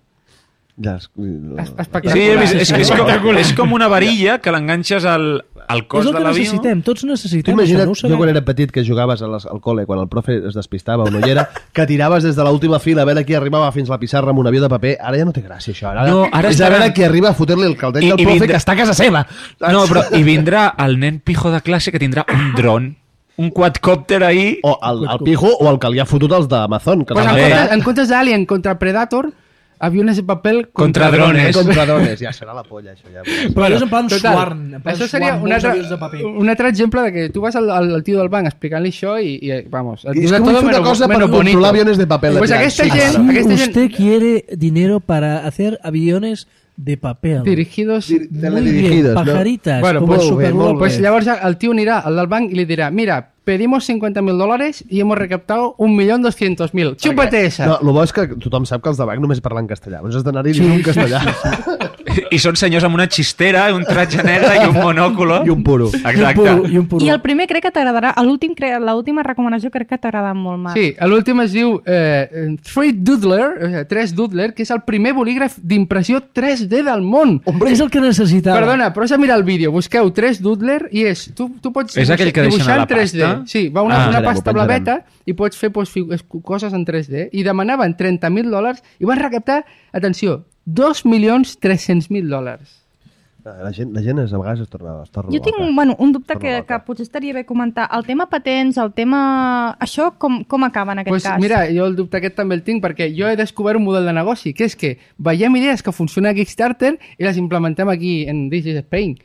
Espectacular. Sí, he vist, és com una varilla que l'enganxes al cos És el de que l'avió. necessitem, tots Tu necessitem imagina't, això, no ho jo sabem. quan era petit que jugaves al col·le, quan el profe es despistava o no hi era, que tiraves des de l'última fila a veure qui arribava fins la pissarra amb un avió de paper. Ara ja no té gràcia, això. Ara és a veure qui arriba a fotre-li el caldell del profe que està a casa seva. No, però hi vindrà el nen pijo de classe que tindrà un dron, un quadcòpter ahí. O el pijo o el que li ha fotut els d'Amazon. Que Pues te'l- en comptes d'Alien contra Predator, aviones de paper Contra drones. Contra drones. Ja serà la polla, això. Ja. Però allò és en plan Total, Swarm. en plan això seria Swarm, un molts altre, avions de paper. un altre exemple de que tu vas al tio del banc explicant-li això i vamos, et I diu és de que vull todo fer una menos- cosa per menos controlar bonito. aviones de paper. Pues aquesta gent, Si aquesta gent usted quiere dinero para hacer aviones de papel. dirigidos... Muy bien, Teledirigidos, no? pajaritas. Bueno, como pues, Super pues llavors el tío anirà al del banc i li dirà, mira, pedimos $50.000 y hemos recaptado 1.200.000. Chúpate esa. No, el bo és que tothom sap que els de banc només parlen castellà. Doncs has d'anar-hi dient un castellà. I són senyors amb una xistera, un tratge negre i un monòculo. I un puro. Exacte. I un puro. I el primer crec que t'agradarà, l'última recomanació crec que t'agrada molt, Marc. Sí, l'últim es diu 3 Doodler, 3 Doodler, que és el primer bolígraf d'impressió 3D del món. És el que necessitava. Perdona, però has de mirar el vídeo. Busqueu 3 Doodler i és... Tu pots És aquell que deixen dibuixar a la en 3D. pasta? Sí, va una penjarem, pasta ho penjarem. blaveta i pots fer coses en 3D. I demanaven $30.000 i van recaptar, atenció, $2.300.000. La gent a vegades es torna Jo tinc un dubte que potser estaria bé comentar. El tema patents, el tema... Això com acaba en aquest Pues cas? mira, jo el dubte aquest també el tinc perquè jo he descobert un model de negoci, que és que veiem idees que funcionen a Kickstarter i les implementem aquí en This is Spain.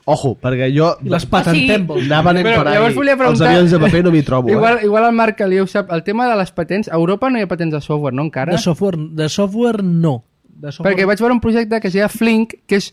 Ojo, perquè jo... I les patentem. vols dir. Anava anant Però per llavors ahí. volia Els preguntar- avions de paper no m'hi trobo. Igual el Marc Caliu sap, el tema de les patents, a Europa no hi ha patents de software, no encara? De software no. De software... Perquè vaig veure un projecte que es deia Flink, que és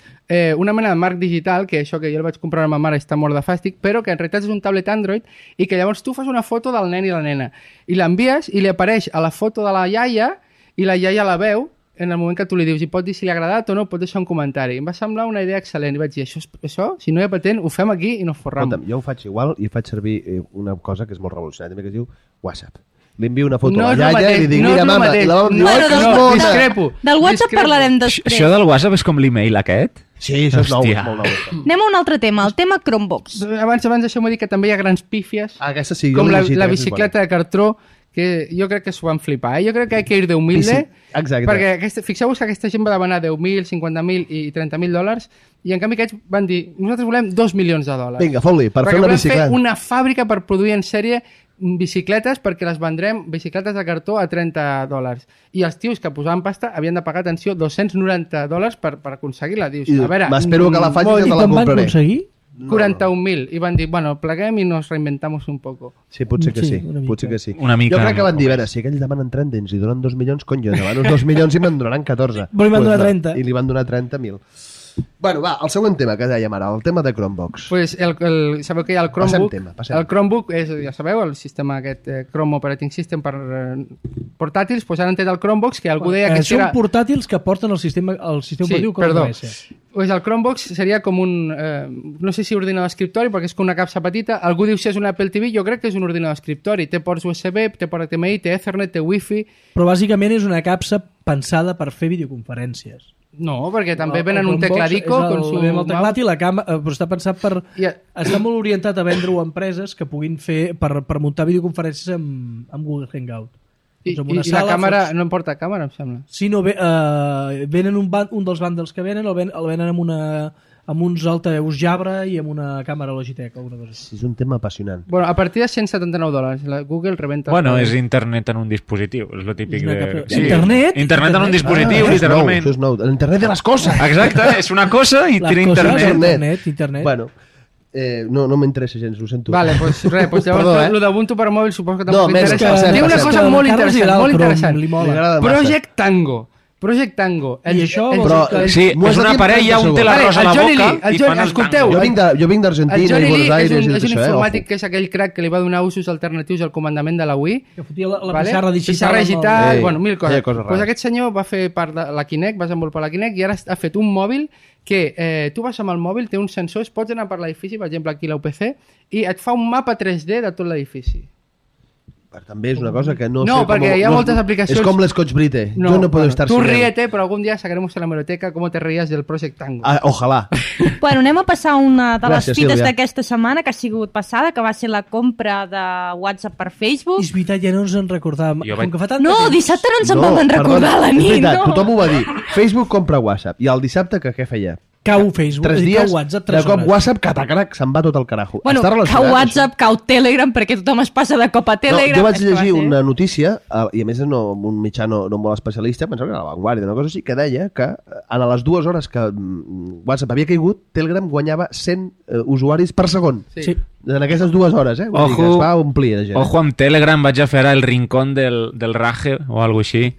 una mena de marc digital, que això que jo el vaig comprar a ma mare està mort de fàstic, però que en realitat és un tablet Android i que llavors tu fas una foto del nen i la nena i l'envies i li apareix a la foto de la iaia i la iaia la veu en el moment que tu li dius i pot dir si li ha agradat o no, pot deixar un comentari. Em va semblar una idea excel·lent i vaig dir, això si no hi ha patent, ho fem aquí i no forram. Escolta'm, jo ho faig igual i faig servir una cosa que és molt revolucionària, també que es diu WhatsApp. Li envio una foto a la iaia i li dic, mira, mama, i la mama em diu, Bueno, "Ai, que és no, mona". discrepo. Del WhatsApp Discrepo. parlarem després. Això del WhatsApp és com l'email aquest? Sí, això és nou, Hòstia. molt nou. Anem a un altre tema, el tema Chromebox. Abans deixeu-me dir que també hi ha grans pífies, Aquesta sí, jo com l'he la llegit, aquesta és bicicleta de cartró, que jo crec que s'ho van flipar. Jo crec que hay que ir de humilde, Sí, exacte. perquè fixeu-vos que aquesta gent va demanar 10.000, 50.000 i 30.000 dòlars, i en canvi aquests van dir, nosaltres volem $2 milions. Vinga, fot-li, per perquè fer una volem bicicleta. fer una fàbrica per produir en sèrie bicicletes perquè les vendrem, bicicletes de cartó, a $30. I els tios que posaven pasta havien de pagar, atenció, $290 per aconseguir-la. Dius, I a veure... m'espero que la faci molt i I te la quan van compraré. aconseguir? 41.000 i van dir, bueno, pleguem i nos reinventamos un poco. Sí, potser que Sí, sí, una mica. potser que sí. Una mica, Jo crec que van dir, a només. veure, si aquells demanen 30 i ens hi donen 2 milions, cony, jo demano uns 2 milions i me'n donaran 14. Però li van donar no. 30. I li van donar 30.000. Bueno, va, el següent tema que dèiem ara, el tema de Chromebox. Pues sabeu que hi ha el Chromebook? Passem. El Chromebook és, ja sabeu, el sistema aquest Chrome Operating System per portàtils, pues han tret el Chromebox, que algú deia que Són era... portàtils que porten el sistema operatiu com perdó. a OS. Pues el Chromebox seria com un, no sé si ordinador d'escriptori, perquè és com una capsa petita. Algú diu si és un Apple TV, jo crec que és un ordinador d'escriptori. Té ports USB, té port HDMI, té Ethernet, té Wi-Fi... Però bàsicament és una capsa pensada per fer videoconferències. No, perquè també El venen un Chromebox tecladico és con su el teclat mouse. i la càmera, però està pensat per... Està molt orientat a vendre-ho a empreses que puguin fer per muntar videoconferències amb Google Hangout. I, Doncs amb i, una i la sala càmera, fots- no em porta càmera, em sembla. Si no, venen un dels bundles que venen, el venen amb uns altaveus Jabra i amb una càmera Logitech o alguna cosa així. És un tema apassionant. Bueno, a partir de $179, la Google rebenta... Bueno, és internet en un dispositiu, és lo típic És una de... capsa- Internet? Internet en un dispositiu, Això és nou, literalment. això és nou. L'internet de les coses! Exacte, és una cosa i Les tira coses, internet. internet. Bueno, no m'interessa gens, ho sento. Vale, pues res, pues llavors Perdó, lo d'Ubuntu per mòbil suposo que No, tampoc més, t'interessa. passem, Té una passem. cosa Que molt al Carles li interessant, agrada molt el Chrome, interessant. li mola. Li agrada massa. Project Tango. I això el- vol Però, dir que- Sí, M'ho has és de una dir en parella, 30 un té la segons. rosa a la El Johnny boca Lee, el i Johnny- fan els escolteu, mangos. Jo vinc d'Argentina El i Johnny Buenos Lee Aires i és tot un això, informàtic ojo. que és aquell crack que li va donar usos alternatius al comandament de la Wii. Que fotia la pissarra digital. Pissarra digital, Ei, bueno, mil coses. feia coses Pues rares. aquest senyor va fer part de la Kinect, va desenvolupar la Kinect i ara ha fet un mòbil que tu vas amb el mòbil, té uns sensors, pots anar per l'edifici, per exemple aquí a l'UPC, i et fa un mapa 3D de tot l'edifici. També és una cosa que no, No, sé perquè hi ha moltes aplicacions... És com l'Scotch Brite. Jo no puedo estar Tú sin él. ríete, pero algún día sacaremos en la hemeroteca cómo te reías del Project Tango. Ojalà. Bueno, anem a passar una de les Gràcies, fites Sílvia. d'aquesta setmana que ha sigut passada, que va ser la compra de WhatsApp per Facebook. És veritat, ja no ens en recordàvem. Jo Com vaig- que fa tant No, temps. dissabte no ens en vam recordar a la és nit, veritat, no? tothom ho va dir. Facebook compra WhatsApp. I el dissabte que què feia? Cau Facebook, 3 és a dir, dies, cau WhatsApp, de 3 cop hores. WhatsApp, catacrac, se'n va tot el carajo. Bueno, Està relacionat, cau WhatsApp, cau Telegram, perquè tothom es passa de cop a això? Telegram. No, jo vaig És que va llegir ser- una notícia, i a més no, un mitjà no molt especialista, pensava que era la Vanguardia, una cosa així, que deia que a les 2 hores que WhatsApp havia caigut, Telegram guanyava 100 usuaris per segon. Sí. En aquestes 2 hores, Vull dir que Ojo. es va omplir de gent. Ojo amb Telegram, vaig a fer ara el rincón del raje o alguna així.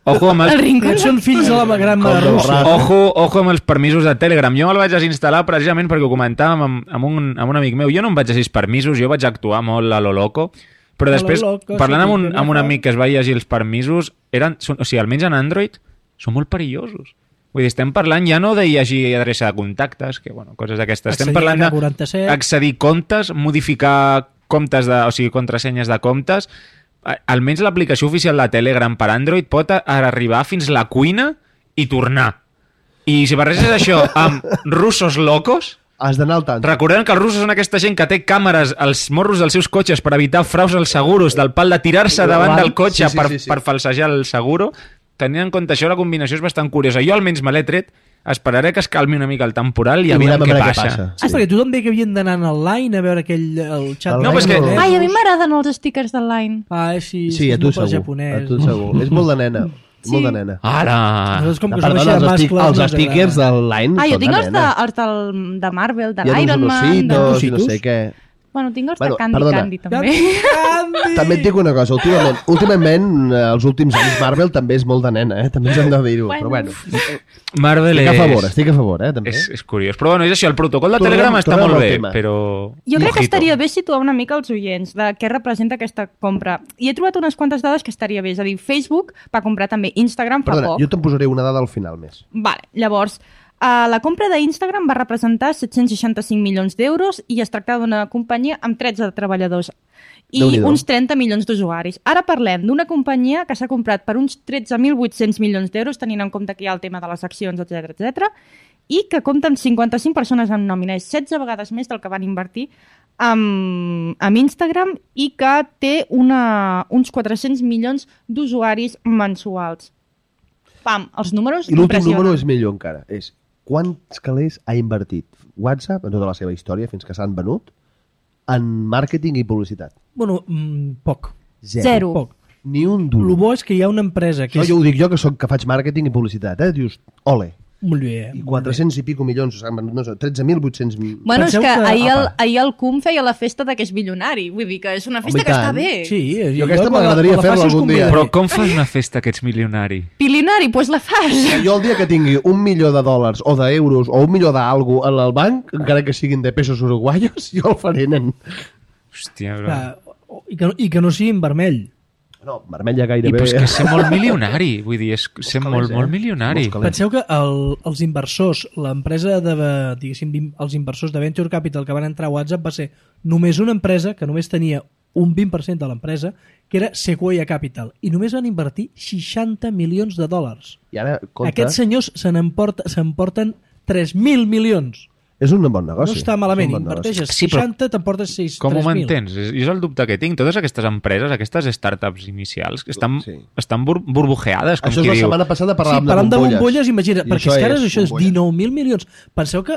Ojo amb El els, rincón. Aquests són fills de la gran Com mare del Rússia. rat. ojo amb els permisos de Telegram. Jo me'l vaig desinstal·lar precisament perquè ho comentàvem amb un amic meu. Jo no em vaig llegir els permisos, jo vaig actuar molt a lo loco, però A lo després, loco, parlant sí, amb un amic que es va llegir els permisos, o sigui, almenys en Android, són molt perillosos. Vull dir, estem parlant ja no de llegir adreça de contactes, que, bueno, coses d'aquestes. Estem Accedir parlant a 47. d'accedir comptes, modificar comptes, o sigui, contrasenyes de comptes. Almenys l'aplicació oficial de Telegram per Android pot arribar fins la cuina i tornar. I si barreges això amb russos locos, Has d'anar al tant. recordem que els russos són aquesta gent que té càmeres als morros dels seus cotxes per evitar fraus als seguros, del pal de tirar-se davant del cotxe Sí. per falsejar el seguro. Tenint en compte això, la combinació és bastant curiosa. Jo almenys me l'he tret, esperaré que es calmi una mica el temporal i I aviam mirem a què veure què passa. passa. Ah, perquè tothom deia que havien d'anar online a veure el xat. No, però és que- Ai, a mi m'agraden els stickers d'online. Ah, sí, Sí, a tu segur. japonès. A tu segur. És molt de nena. Molt de nena. Ara! Nosaltres, com que Perdona, som així de mascles, els no ens stickers agrada. d'online Ah, jo són tinc de els nena. de Marvel, de Hi ha uns l'Iron Man... ositos i no Ositos? sé què. Bueno, tinc els Bueno, de Candy perdona. Candy, també. Candy! També et dic una cosa, últimament els últims anys Marvel també és molt de nena, també ens hem de dir-ho, Bueno. però bueno. Marvel Estic a favor, també. és curiós. Però bueno, és això, el protocol de Tornem- Telegram està tornem molt al bé, tema. però... Jo crec que Mojito. estaria bé situar una mica els oients de què representa aquesta compra. I he trobat unes quantes dades que estaria bé. És a dir, Facebook va comprar també Instagram fa Perdona, poc. jo te'n posaré una dada al final més. Vale, llavors, la compra d'Instagram va representar 765 milions d'euros i es tractava d'una companyia amb 13 treballadors i Déu-n'hi-do. uns 30 milions d'usuaris. Ara parlem d'una companyia que s'ha comprat per uns 13.800 milions d'euros, tenint en compte que hi ha el tema de les accions, etc i que compta amb 55 persones en nòmina. És 16 vegades més del que van invertir amb Instagram i que té uns 400 milions d'usuaris mensuals. Pam, els números I l'últim impressionen. número és millor encara, és quants calés ha invertit WhatsApp en tota la seva història fins que s'han venut en màrqueting i publicitat. Bueno, poc. Zero. Poc. Ni un El duro. bo és que hi ha una empresa que Això és... jo ho dic jo, que faig màrqueting i publicitat, Dius, ole, Molt bé. i 400 i pico milions, no sé, 13.800 Bueno, és Penseu que que- ahir el CUM feia la festa de que és bilionari. Vull dir que és una festa Home, i que està tant. bé. Sí, Jo aquesta quan m'agradaria quan la fer-la faci us algun dia. convidaré. Però com fas una festa que ets milionari? Bilionari, doncs la fas. Jo el dia que tingui $1 milió o d'euros o $1 milió d'algo al banc, encara que siguin de pesos uruguayos, jo el faré, nen. Hòstia, bro. Clar, I que no sigui en vermell. No, vermell ja I gairebé. però és que ser molt milionari, vull dir, és ser calés, molt milionari. Molts calés. Penseu que els inversors, l'empresa de, diguéssim, els inversors de Venture Capital que van entrar a WhatsApp va ser només una empresa que només tenia un 20% de l'empresa, que era Sequoia Capital, i només van invertir $60 milions. I ara, compte, Aquests senyors s'emporten 3.000 milions. és un bon negoci. No està malament, És un bon negoci. inverteixes Sí, però 60, t'emportes 6, Com ho 3.000. mantens? És el dubte que tinc. Totes aquestes empreses, aquestes startups inicials, que estan, Sí. estan burbujeades, com Això és qui la diu. setmana passada Sí, parlàvem parlant de bombolles. bombolles, imagina, I perquè és que ara això és bombolles. 19.000 milions. Penseu que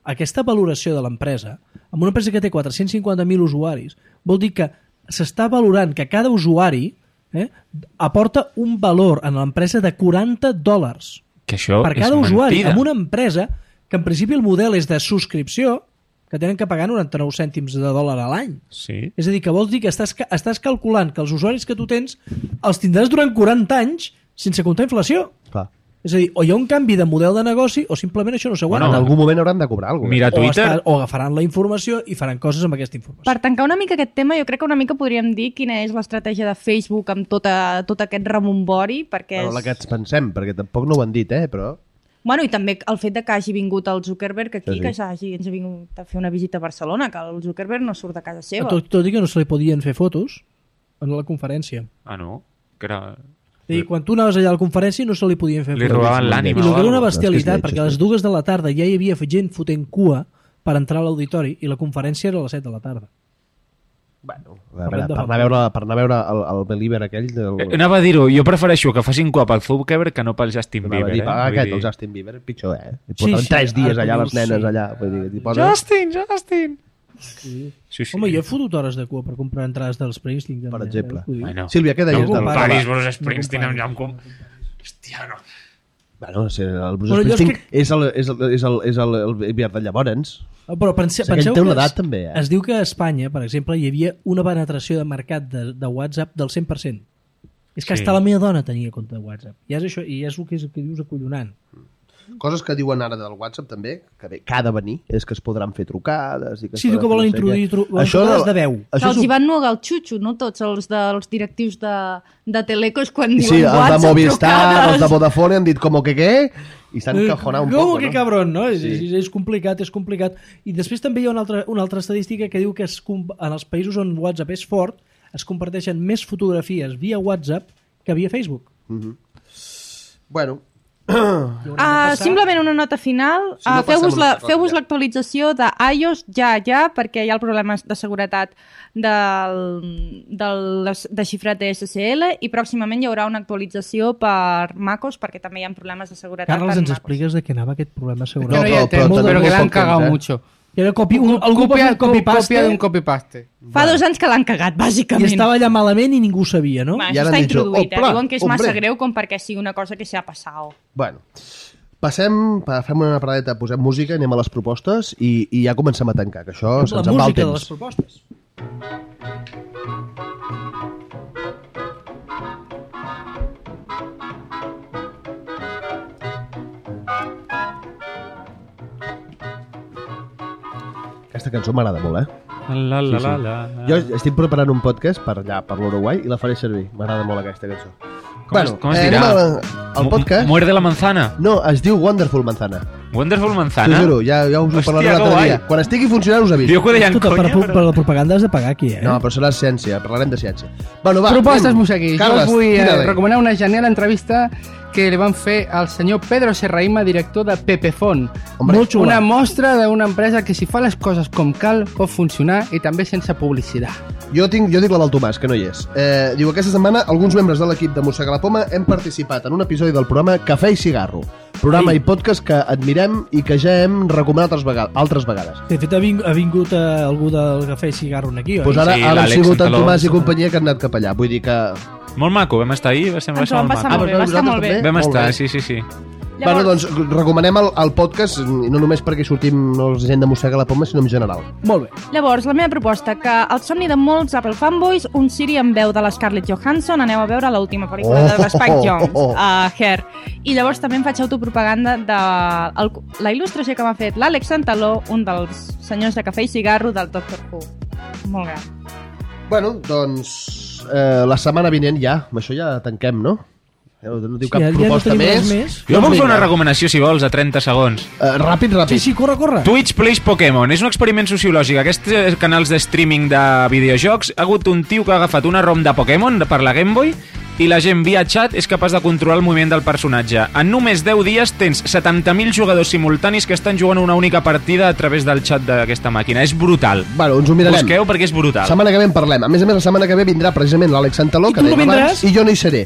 aquesta valoració de l'empresa, amb una empresa que té 450.000 usuaris, vol dir que s'està valorant que cada usuari aporta un valor en l'empresa de $40 Que això per cada és usuari, mentida. amb una empresa que en principi el model és de subscripció, que tenen que pagar 99 cèntims de dòlar a l'any. Sí. És a dir, que vols dir que estàs calculant que els usuaris que tu tens els tindràs durant 40 anys sense comptar inflació. Clar. És a dir, o hi ha un canvi de model de negoci o simplement això no s'aguanta. En algun moment hauran de cobrar alguna cosa. Mira o, Twitter, o agafaran la informació i faran coses amb aquesta informació. Per tancar una mica aquest tema, jo crec que una mica podríem dir quina és l'estratègia de Facebook amb tot aquest remombori, perquè Bueno, la que ens pensem, perquè tampoc no ho han dit, però... Bueno, i també el fet de que hagi vingut el Zuckerberg aquí, Sí. que ens ha vingut a fer una visita a Barcelona, que el Zuckerberg no surt de casa seva. Tot i que no se li podien fer fotos. en la conferència. Ah, no? Que era... I quan tu anaves allà a la conferència no se li podien fer Li robaven l'ànima. I el que era una o bestialitat, alguna cosa. perquè a les 2 de la tarda ja hi havia gent fotent cua per entrar a l'auditori i la conferència era a les 7 de la tarda. Bueno, a veure, per anar a veure el Believer aquell... Anava a dir-ho, jo prefereixo que facin cua pel Zuckerberg que no pel Justin Bieber. Aquest, el Justin Bieber, pitjor, I porten 3 dies allà les nenes allà. Vull dir, Justin! Sí. Home, jo he fotut hores de cua per comprar entrades dels Springsteen. Per exemple. Bueno. Sílvia, què deies? No comparis Bruce Springsteen amb... Hòstia, no. Bueno, el Bruce Springsteen és el Bieber de llavors. Però penseu té una que edat, també, es diu que a Espanya, per exemple, hi havia una penetració de mercat de WhatsApp del 100%. És que hasta la meva dona tenia compte de WhatsApp. I és això, i és el que dius acollonant. Coses que diuen ara del WhatsApp també, que ha de venir, és que es podran fer trucades... I que Sí, diu que volen introduir trucades de veu. Que els hi van nugar el xutxo, no tots els dels directius de Telecos quan diuen Sí, els de WhatsApp, Movistar, trucades. els de Vodafone han dit com que què? I s'han encajonat un poc, Com que no? cabron, no? És complicat, és complicat. I després també hi ha una altra estadística que diu que en els països on WhatsApp és fort es comparteixen més fotografies via WhatsApp que via Facebook. Bueno, Simplement una nota final. Si no Feu-vos l'actualització de iOS ja, perquè hi ha el problema de seguretat del desxifrat de SSL i pròximament hi haurà una actualització per MacOS perquè també hi ha problemes de seguretat Carles, per ens MacOS. expliques de què anava aquest problema de Yo seguretat? no ya tengo, pero que la han cagado mucho. Era algú va fer un copy-paste Copia d'un copy-paste. Fa 2 anys que l'han cagat, i bàsicament. estava allà malament i ningú ho sabia, no? Bueno, I ara això està han dit, introduït, "Opla, diuen que és massa hombre". greu com perquè sigui una cosa que s'ha passat. bueno. Fem una paradeta, posem música, anem a les propostes i ja comencem a tancar, que això La se'ns en va el música de les temps. propostes. Aquesta cançó m'agrada molt, La, la, Sí, la, sí. la. Jo estic preparant un podcast per allà, per l'Uruguai, i la faré servir. M'agrada molt aquesta cançó. Com es dirà? Anem al podcast. Muerde la manzana. No, es diu Wonderful Manzana. Wonderful T'ho manzana. juro, ja us ho Hòstia, parlaré que l'altre guai. dia. Quan estigui funcionant us aviso. Jo que ho deia en Escolta, conya, per la propaganda has de pagar aquí, No, però serà ciència, parlarem de ciència. Bueno, va, Propostes, anem. Museguis. Carles, Jo vull tira-li. recomanar una genial entrevista que li van fer al senyor Pedro Serraima, director de Pepefont. Hombre, Molt xula. Una mostra d'una empresa que si fa les coses com cal pot funcionar i també sense publicitat. Jo dic la del Tomàs, que no hi és. Diu, aquesta setmana alguns membres de l'equip de Mossega la Poma hem participat en un episodi del programa Cafè i Cigarro, programa i podcast que admirem i que ja hem recomanat altres vegades. De fet, ha vingut algú del Cafè i Cigarro aquí, oi? Pues ara Sí, han l'Àlex sigut en Santaló. Tomàs i companyia que han anat cap allà. Vull dir que... Molt maco, vam estar ahir, va ser Ens ho vam passar maco. molt bé, va estar molt bé. Vam Molt estar, bé. sí. Bueno, doncs recomanem el podcast, i no només perquè sortim la gent de Mossega la Poma, sinó en general. Molt bé. Llavors, la meva proposta, que el somni de molts Apple fanboys, un Siri amb veu de la Scarlett Johansson, aneu a veure l'última pel·lícula de Spike Jonze, Hair. I llavors també em faig autopropaganda de la il·lustració que m'ha fet l'Àlex Santaló, un dels senyors de Cafè i Cigarro del Doctor Who. Molt gran. Bueno, doncs la setmana vinent ja, amb això ja tanquem, no? No diu cap ja no proposta tenim res més. més. Jo puc fer vinga. una recomanació, si vols, a 30 segons. Ràpid. Sí, corre. Twitch Plays Pokémon. És un experiment sociològic. Aquests canals de streaming de videojocs, ha hagut un tio que ha agafat una ROM de Pokémon per la Game Boy i la gent via xat és capaç de controlar el moviment del personatge. En només 10 dies tens 70.000 jugadors simultanis que estan jugant una única partida a través del xat d'aquesta màquina. És brutal. Bueno, ens ho mirarem. Busqueu perquè és brutal. Setmana que ve en parlem. A més, la setmana que ve vindrà precisament l'Àlex Santaló, I que tu no dèiem abans, vindràs? i jo no hi seré.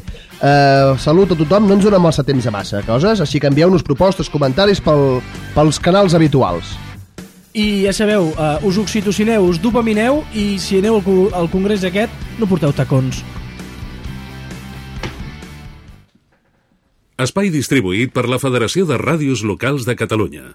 Salut a tothom, no ens donem massa temps a massa coses, així que envieu-nos propostes, comentaris pels canals habituals. I ja sabeu, us oxitocineu, us dopamineu i si aneu al congrés aquest, no porteu tacons. Espai distribuït per la Federació de Ràdios Locals de Catalunya.